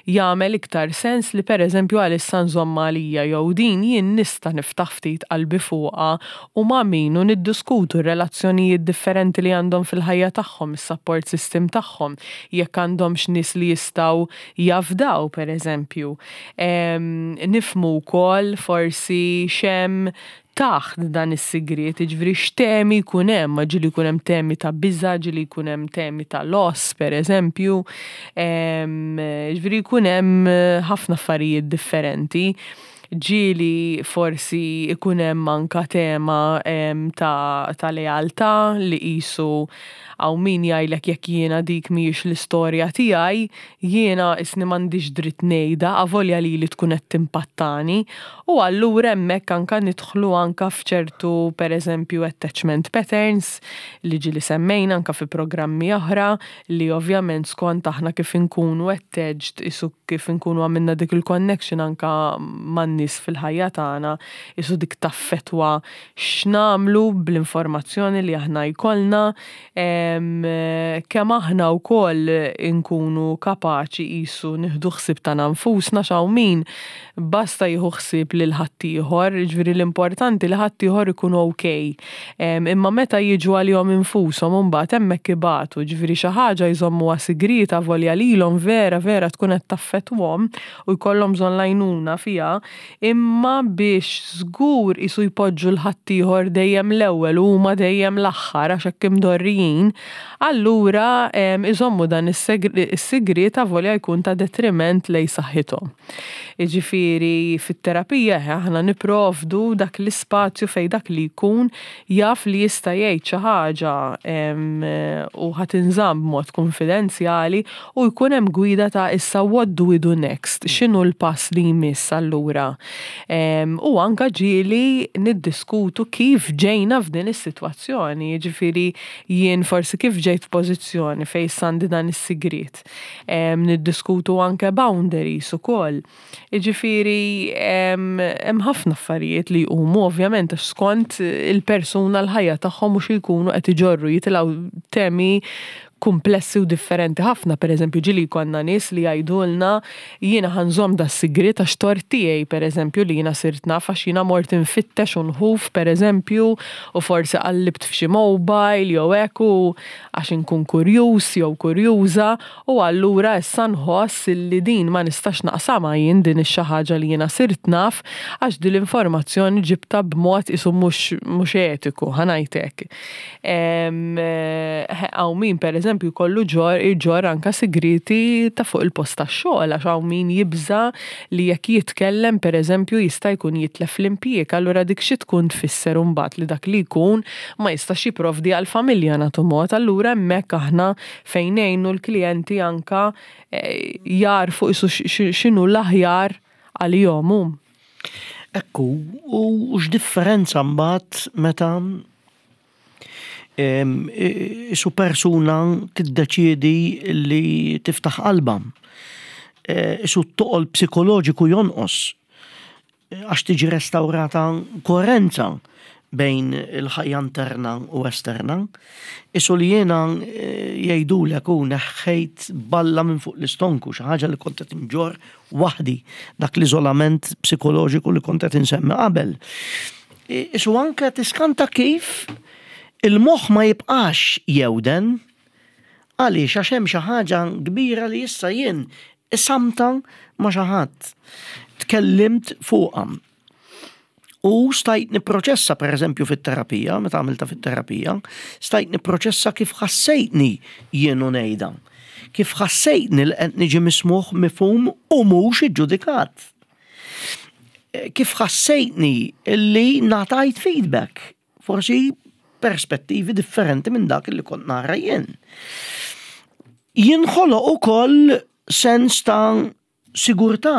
jagħmel iktar sens li pereżempju għalissa nżomm għalija, jew din jien nista' niftaħ ftit qalbi fuqha u ma' min", u niddiskutu r-relazzjonijiet differenti li għandhom fil-ħajja tagħhom, is-support system tagħhom, jekk għandhomx nies li jistgħu jafdaw, pereżempju. Nifhmu wkoll forsi x'hemm taħt dan is-sigriet, jiġifieri x'temi jkun hemm, ġieli jkun hemm temi ta' biża', ġieli jkun hemm temi ta' loss, pereżempju, jiġifieri jkun hemm ħafna affarijiet differenti. Ġieli forsi ikun hemm anka tema ta', ta lealtà li qisu hawn min jgħidlek: "Jekk jiena dik mhijiex l-istorja tiegħi, jiena isni m'għandix dritt ngħidha, avolja li li tkun qed timpattani." U allura hemmhekk anka nidħlu anka f'ċertu, pereżempju, attachment patterns li ġieli semmejna anka fi programmi oħra, li ovvjament skont aħna kif inkunu attached, isu kif inkunu għamilna dik il-connection anka man-nies fil-ħajja tagħna, isu dik taffetwa x'nagħmlu bl-informazzjoni li aħna jkollna, kemm aħna wkoll inkunu kapaċi qisu nieħdu ħsieb tagħna nfusna. Hawn min basta jieħu ħsieb lil ħaddieħor, jiġifieri l-importanti li ħaddieħor ikun okay. Imma meta jiġu għalihom infushom, imbagħad hemmhekk ibatu, jiġifieri xi ħaġa jżommuha sigrita volja lilhom vera vera tkun qed taffettwahom u jkollhom bżonn l-għajnuna fiha, imma biex żgur isu jpoġġu l-ħaddieħor dejjem l-ewwel u huma dejjem l-aħħar, għax hekk imdorrijin, allura iżommu dan is-sigriet avolja jkun ta' detriment lejn saħħithom. Jiġifieri fit-terapija aħna nipprovdu dak l-ispazju fejn dak li jkun jaf li jista' jgħid xi ħaġa u ħa tinżamm b'mod konfidenzjali u jkun hemm gwida ta' issa what do we do next, x'inhu l-pass li jmiss allura. U anka ġieli niddiskutu kif ġejna f'din is-sitwazzjoni, jiġifieri jien forsi kif ġejt f'pożizzjoni fejn għandi dan is-sigriet. Niddiskutu anke boundaries ukoll. Jiġifieri hemm ħafna affarijiet li jqumu, ovvjament, għax skont il-persuna, l-ħajja tagħhom mhux jkunu qed iġorru, jitilgħu temi komplessi u differenti ħafna. Per eżempju, ġieli konna nies li jgħidulna: "Jiena ħa nżomm da sigriet għax tort tiegħi, per eżempju, li jiena sirt naf, għax jiena mort infittex u nħuf, per eżempju, u forsi qallibt f'xi mobile jew hekk, u għax inkun kurjuż jew kurjuża, u allura issa nħoss li din ma nistax naqsamha jien, din ix-xi ħaġa li jiena sirt naf, għax din l-informazzjoni ġibta b'mod isu mhux mhux etiku, ħa ngħidlek." Hawn min, per eżempju, jkollu ġor iġorr anka sigriti ta' fuq il-post tax-xogħol, għax hawn min jibża li jekk jitkellem, per eżempju, jista' jkun jitlef l-impjieg, allura dik xi tkun tfisser mbagħad? Li dak li jkun ma jistax jipprovdi għall-familja, nagħtu mod. Allura hemmhekk aħna fejn ngħinu l-klijenti anka eh, jarfu isu x'inhu l-aħjar għalihom hu. Ekku, u x'differenza mbagħad meta isu persuna tiddeċiedi li tiftaħ qalba? E, isu t-toqol psikoloġiku jonqos għax tiġi restaurata koerenza bejn il-ħajja interna u esterna. Isu li jiena e, jgħidulek u neħħejt balla minn fuq l-istonku, xi ħaġa li kont qed inġorr waħdi, dak l-iżolament psikoloġiku li kont qed insemmi qabel. E, isu anke tiskanta kif il-moħħ ma jibqax jewden, għaliex? Għax hemm xi ħaġa kbira li issa jien qsamtha ma' xi ħadd. Tkellimt fuqha. U stajt niproċessa, per eżempju, fit-terapija, meta għamilta fit-terapija, stajt niproċessa kif ħassejtni jien u ngħidha. Kif ħassejtni li qed niġi mismugħ, mifhum u mhux iġġudikat. Kif ħassejtni li ngħatajt feedback, forsi perspettivi differenti minn dak li kont nara jien. Jinħoloq ukoll sens ta' sigurtà,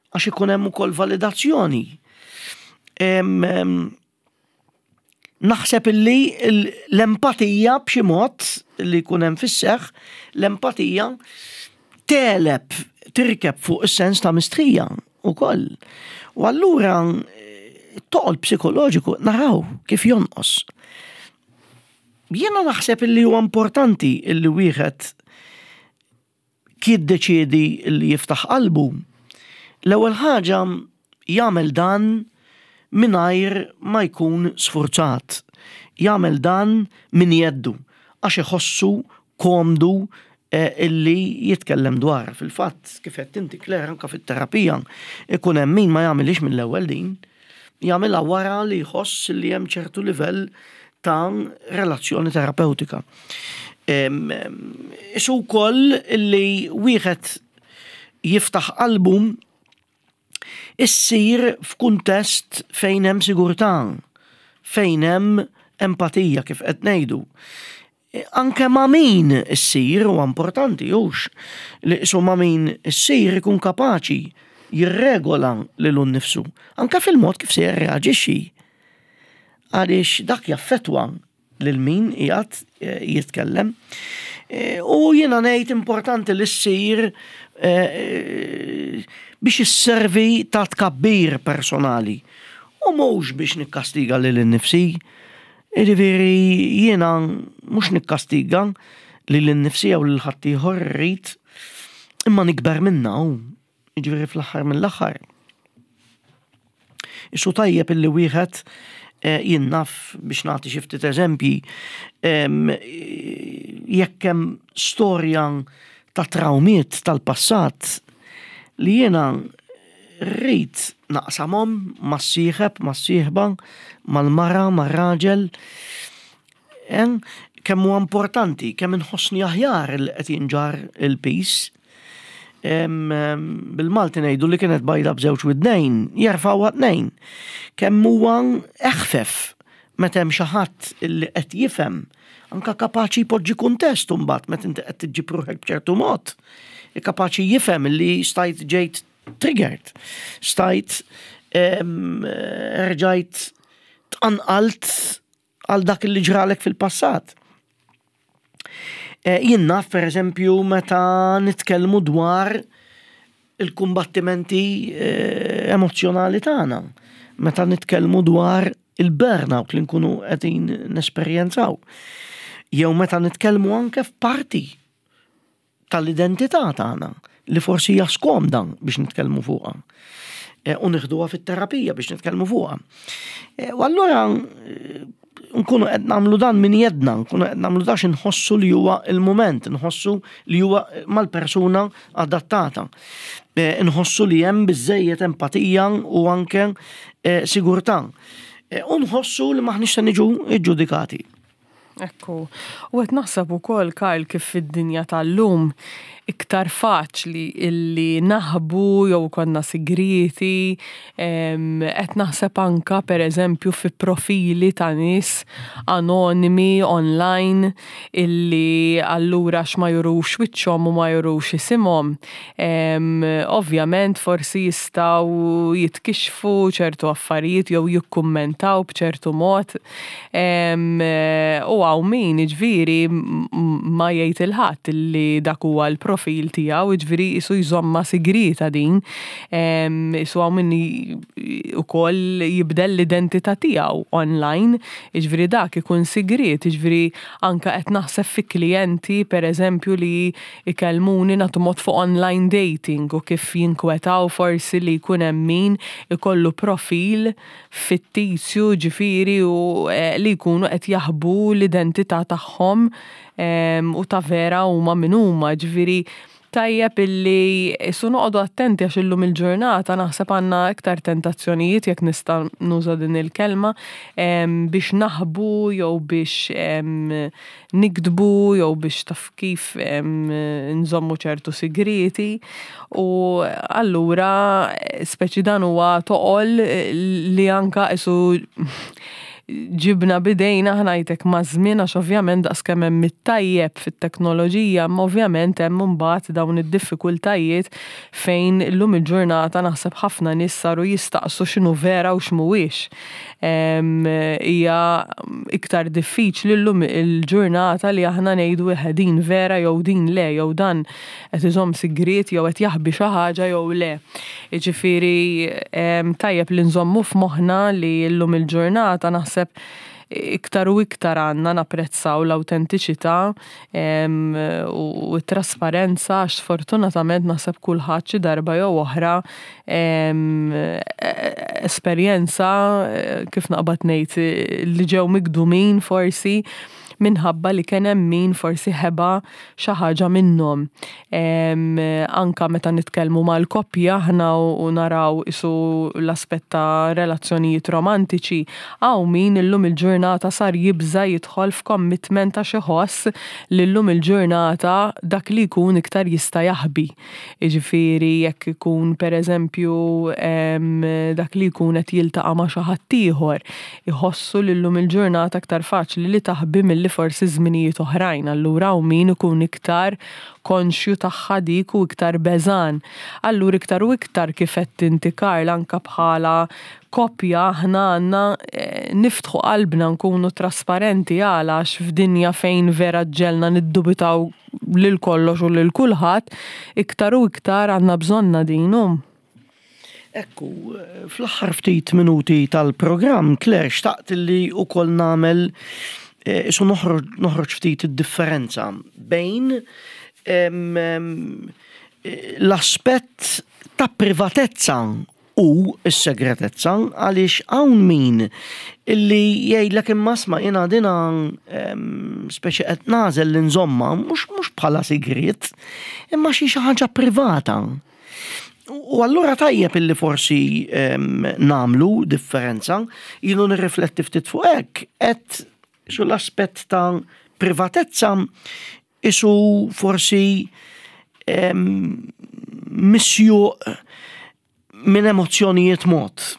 għax ikun hemm ukoll validazzjoni. Naħseb illi l-empatija b'xi mod li jkun hemm fis-seħħ, l-empatija tegħleb, tirkeb fuq is-sens ta' mistħija ukoll. U allura toqol psikoloġiku naraw kif jonqos. Jiena naħseb illi huwa importanti illi wieħed jiddeċiedi li jiftaħ qalbu. L-ewwel ħaġa jagħmel dan mingħajr ma jkun sfurzat. Jagħmel dan min jeddu għax iħossu komdu eh, illi jitkellem dwar. Fil-fatt, kif qed inti, Claire, anke fit-terapija ikun hemm min ma jagħmilix mill-ewwel din, jagħmilha wara li jħoss li hemm ċertu livell ta' relazzjoni terapeutika. Isu wkoll illi wieħed jiftaħ qalbu issir f'kuntest fejn hemm sigurtà, fejn hemm empatija, kif qed ngħidu. Anke ma' min issir huwa importanti, hux li isu ma' min issir ikun kapaċi jirregola lilu nnifsu, anke fil-mod kif se jirreaġixxi. Għaliex dak jaffetwa lil min qiegħed eh, jitkellem. Eh, u jiena ngħid importanti li ssir eh, biex isservi ta' tkabbir personali. U mhux biex nikkastiga lil innifsi. Jiġifieri jiena mhux nikkastiga lil innifsi jew lil ħaddieħor rrid imma nikber minna u jiġifieri fl-aħħar mill-aħħar. Isu tajjeb illi wieħed, eh, jien naf, biex nagħti xi ftit eżempji, jekk hemm storja ta' trawmiet tal-passat li jiena rrid naqsamhom mas-sieħeb, mas-sieħba, mal-mara, mar-raġel, kemm huwa importanti, kemm inħossni aħjar li qed jinġarr il-piż. Bil-Malti ngħidu li kienet bajda b'żewġ widnejn, jerfgħuha tnejn. Kemm huwa eħfef meta hemm xi ħadd li qed jifhem, anka kapaċi jpoġġi kuntest imbagħad meta inti qed tiġġib ruħek b'ċertu mod. Kapaċi jifhem li stajt ġejt triggered, stajt rġajt tqanqalt għal dak li ġralek fil-passat. Eh, jien naf, per eżempju, meta nitkellmu dwar il-kumbattimenti eh, emozjonali tagħna, meta nitkellmu dwar il-burnout li nkunu qegħdin nesperjenzaw. Jew meta nitkellmu anke f'parti tal-identità tagħna li forsi hija skomda biex nitkellmu fuqha. Eh, u nieħduha fit-terapija biex nitkellmu fuqha. U allura nkunu qed nagħmlu dan minn jedna, nkunu qed nagħmlu dax inħossu li huwa il-mument, nħossu li huwa mal-persuna adattata. Eh, nħossu li hemm biżejjed empatija u anke eh, sigurtà. Eh, u nħossu li maħniex se niġu iġġudikati. Ekku, u qed naħseb ukoll, Karl, kif fid-dinja tal-lum iktar faċli illi naħbu jew konna sigriti, qed naħseb anka per eżempju fi profili ta' nies anonimi online illi allura x'ma jurux wiċċhom u ma jurux isimhom. Ovvjament forsi jistgħu jitkixxfu ċertu affarijiet jew jikkummentaw b'ċertu mod. U hawn min jiġifieri ma jgħid 'il ħadd illi dak huwa l-profil tiegħu, jiġifieri isu jżommha sigrita din. Isu hawn min ukoll jibdel l-identità tiegħu online, jiġifieri dak ikun sigriet, jiġifieri anka qed naħseb fi klijenti per eżempju li ikellmuni nagħtu mod fuq online dating u kif jinkwetaw forsi li jkun hemm min ikollu profil fittizju, ġifieri, u eh, li jkunu qed jaħbu l-identità tagħhom u ta' vera huma min huma, ġifieri Tajjeb illi su noqogħdu attenti għax illum il-ġurnata naħseb għandna iktar tentazzjonijiet, jekk nista' nuża din il-kelma, biex naħbu jew biex nikdbu jew biex, taf kif, nżommu ċertu sigrieti. U allura speċi dan huwa toqol li anka isu ġibna bidejna ħnajtek ma' żmien, għax ovvjament daqs kemm hemm it-tajjeb fit-teknoloġija, ma ovvjament hemm imbagħad dawn id-diffikultajiet fejn illum il-ġurnata naħseb ħafna nies saru jistaqsu x'inhu vera u x'mhuwiex. Hija iktar diffiċli llum il-ġurnata li aħna ngħidu din vera jew din le, jew dan qed iżomm sigriet jew qed jaħbi xi ħaġa jew le. Jiġifieri tajjeb li nżommu f'moħħna li llum il-ġurnata naħseb iktar u iktar għandna napprezzaw l-autentiċità u t-trasparenza, għax sfortunatament naħseb kulħadd xi darba jew oħra esperjenza, kif naqbad ngħid, li ġew migdumin forsi minħabba li kien hemm min forsi ħeba xi ħaġa minnhom. Anka meta nitkellmu mal-koppja aħna u naraw isu l-aspett ta' relazzjonijiet romantiċi, hawn min illum il-ġurnata sar jibża jidħol f'commitment għax iħoss li llum il-ġurnata dak li jkun iktar jista' jaħbi. Jiġifieri jekk ikun, pereżempju, dak li jkun qed jiltaqa' ma' xi ħadd ieħor, iħossu li llum il-ġurnata aktar faċli li taħbi milli forsi żminijiet oħrajn. Allura hawn min ikun iktar konxju tagħha dik u iktar beżan. Allura iktar u iktar, kif qed inti, Karl, anka bħala koppja aħna għandna niftħu qalbna, nkunu trasparenti, għala għax f'dinja fejn vera ġelna niddubitaw lil kollox u lil kulħadd, iktar u iktar għandna bżonna din. Ekku, fl-aħħar ftit minuti tal-programm, Claire, xtaqt li ukoll nagħmel isu noħroġ ftit id-differenza bejn l-aspett ta' privatezza u s-segretezza, għaliex hawn min illi jgħidlek, "Imma isma', jiena dina speċi qed nagħżel li nżomma mhux mhux bħala sigriet, imma xi xi ħaġa privata." U allura tajjeb illi forsi nagħmlu differenza. Ilu nirrifletti ftit fuq hekk, qed su l-aspett ta' privatezza isu forsi misjuq minn emozzjonijiet mod.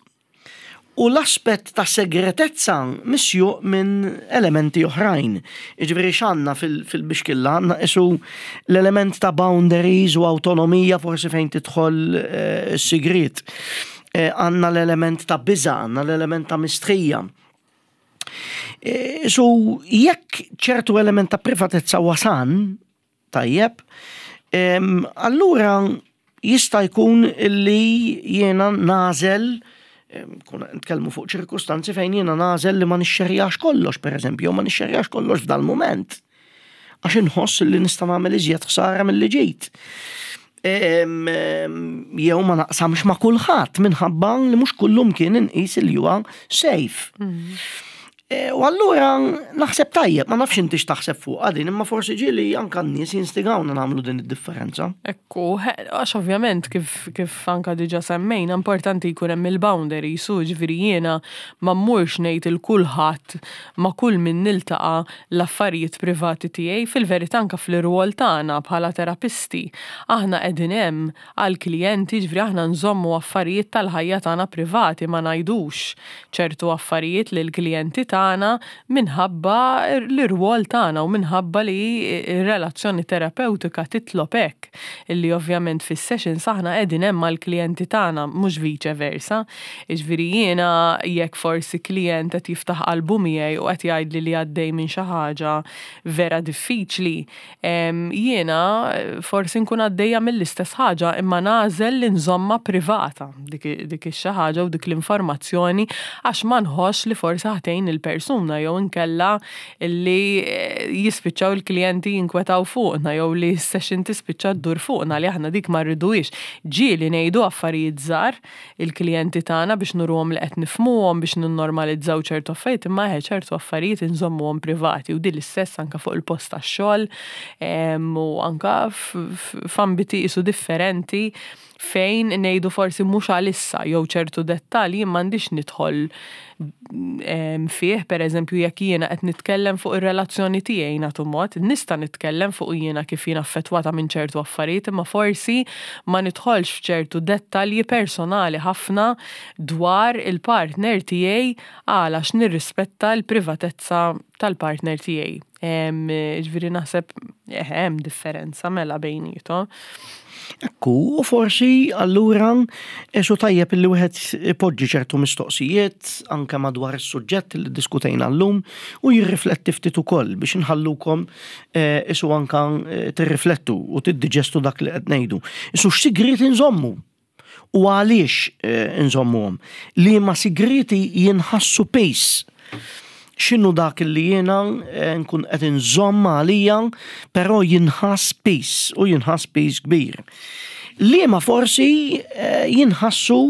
U l-aspett ta' segretezza misjuq minn elementi oħrajn. Iġifieri x'għandna fil-bixkilla, għandna isu l-element ta' boundaries u autonomija forsi fejn tidħol eh, sigriet. Eh, għandna l-element ta' biża, għandna l-element ta' mistħija. Eh, so jekk ċertu element ta' privatezza wasan, tajjeb, allura jista' jkun li jiena nagħżel, kun nitkellmu fuq ċirkustanzi fejn jiena nagħżel li ma nixxerjax kollox, per eżempju, ma nixxerjax kollox f'dal moment. Għax inħoss li nista' nagħmel iżjed ħsara milli ġejt. Jew ma naqsamx ma' kulħadd minħabba li mhux kullum kien inqis li huwa safe. Mm. E, u allura naħseb tajjeb, ma nafx inti x'taħseb fuq din, imma forsi ġieli anka n-nies jinstigawna nagħmlu din id-differenza. Ekku, għax ovvjament kif, kif anka diġa semmejna, importanti jkun hemm il-boundaries, u ġifieri jiena ma mmurx ngħid il kulħadd, ma kull min niltaqa', l-affarijiet privati tiegħi. Fil-verità, anka fl-irwol tagħna bħala terapisti, aħna qegħdin hemm għall-klijenti, ġifieri aħna nżommu affarijiet tal-ħajja tagħna privati, ma ngħidux ċertu affarijiet lill-klijenti tagħna tagħna minħabba l-irwol tagħna u minħabba li r-relazzjoni terapeutika titlob hekk, illi ovvjament fis-sessions aħna qegħdin hemm mal-klijenti tagħna, mhux vice versa. Jiġifieri jiena jekk forsi klient qed jiftaħ qalbu miegħi u qed jgħidli li għaddej minn xi ħaġa vera diffiċli, jiena forsi nkun għaddejja mill-istess ħaġa, imma nagħżel li nżomma privata dik dik ix-xi ħaġa u dik l-informazzjoni, għax ma nħoss li forsi ħa tgħin il il-persuna jew inkella li eh, jispiċċaw il-klijenti jinkwetaw fuqna jew li s-session tispiċċa ddur fuqna li aħna dik ma rriduhiex. Ġieli ngħidu affarijiet żgħar il-klijenti tagħna biex nuruhom li qed nifhmuhom biex ninnormalizzaw ċertu affarijiet, imma eħe ċertu affarijiet inżommuhom privati u din l-istess anka fuq il-post tax-xogħol u anka f'ambiti isu differenti fejn ngħidu forsi mhux għalissa jew ċertu dettalji m'għandix nidħol fih, per eżempju, jekk jiena qed nitkellem fuq ir-relazzjoni tiegħi nagħtu mod, nista' nitkellem fuq jiena kif jiena affettwata minn ċertu affarijiet, imma forsi ma nidħolx f'ċertu dettalji personali ħafna dwar il-partner tiegħi għalax nirrispetta l-privatezza tal-partner tiegħi. Ġifieri naħseb hemm differenza mela bejniethom. Ekku, u forsi allura esu tajjeb li wieħed ipoġġi ċertu mistoqsijiet anke madwar is-suġġett li diskutejna llum u jirrifletti ftit ukoll biex inħallukom eh, isu anka eh, tirriflettu u tiddiġestu dak li qed ngħidu. Isu x'sigriet inżommu u għaliex eh, inżommuhom. Li ma sigriti jinħassu piż x'inhu dak li jiena eh, nkun qed inżomm għalija, però jinħass piż u jinħass piż kbir. Liema forsi eh, jinħassu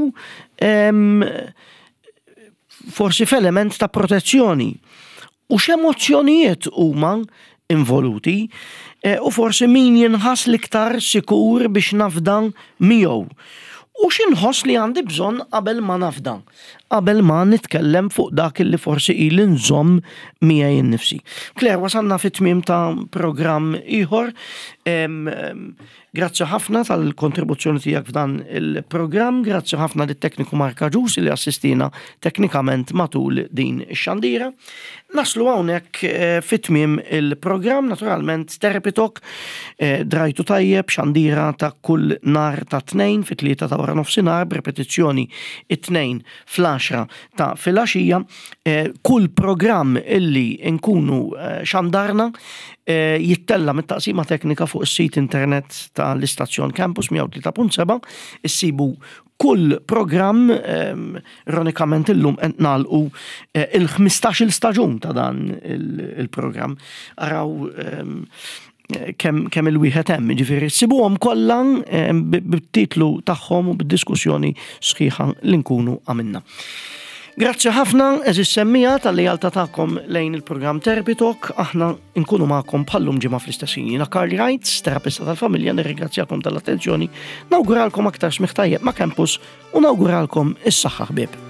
forsi f'element ta' protezzjoni. U x'emozzjonijiet huma involuti eh, u forsi min jinħass l-iktar sikur biex nafda miegħu. U x'inħoss li għandi bżonn qabel ma nafda, qabel ma nitkellem fuq dak li forsi ili nżomm miegħi innifsi. Claire, wasalna fit-tmiem ta' programm ieħor. Grazzi ħafna tal-kontribuzzjoni tiegħek f'dan il-programm, grazzi ħafna lit-tekniku Mark Agius li assistina teknikament matul din ix-xandira. Naslu hawnhekk eh, fit-tmiem il-programm, naturalment Therapy Talk, eh, drajtu tajjeb xandira ta' kull nhar ta' tnejn fit-tlieta ta' wara nofsinhar b'repetizzjoni it-tnejn fl-għaxra ta' filgħaxija. Eh, kull programm illi nkunu xandarna jittella mit-taqsima teknika fuq is-sit internet tal-istazzjon Campus mija u tlieta punt seba', issibu kull programm, ironikament illum qed nagħlqu eh, il-ħmistax-il staġun ta' dan il-programm. Araw kemm kemm il-wieħed hemm, jiġifieri ssibuhom kollha bit-titlu tagħhom u bid-diskussjoni sħiħa li nkunu għamilna. Grazzi ħafna, għeżież semmiegħa tal-lealtà tagħkom lejn il-programm Therapy Talk. Aħna nkunu magħkom bħallum ġimgħa fl-istess ħin. Jiena Karl Reitz, terapista tal-familja, nirringrazzjakom tal-attenzjoni, nawguralkom aktar smigħ tajjeb ma' Campus u nawguralkom is-saħħa ħbieb.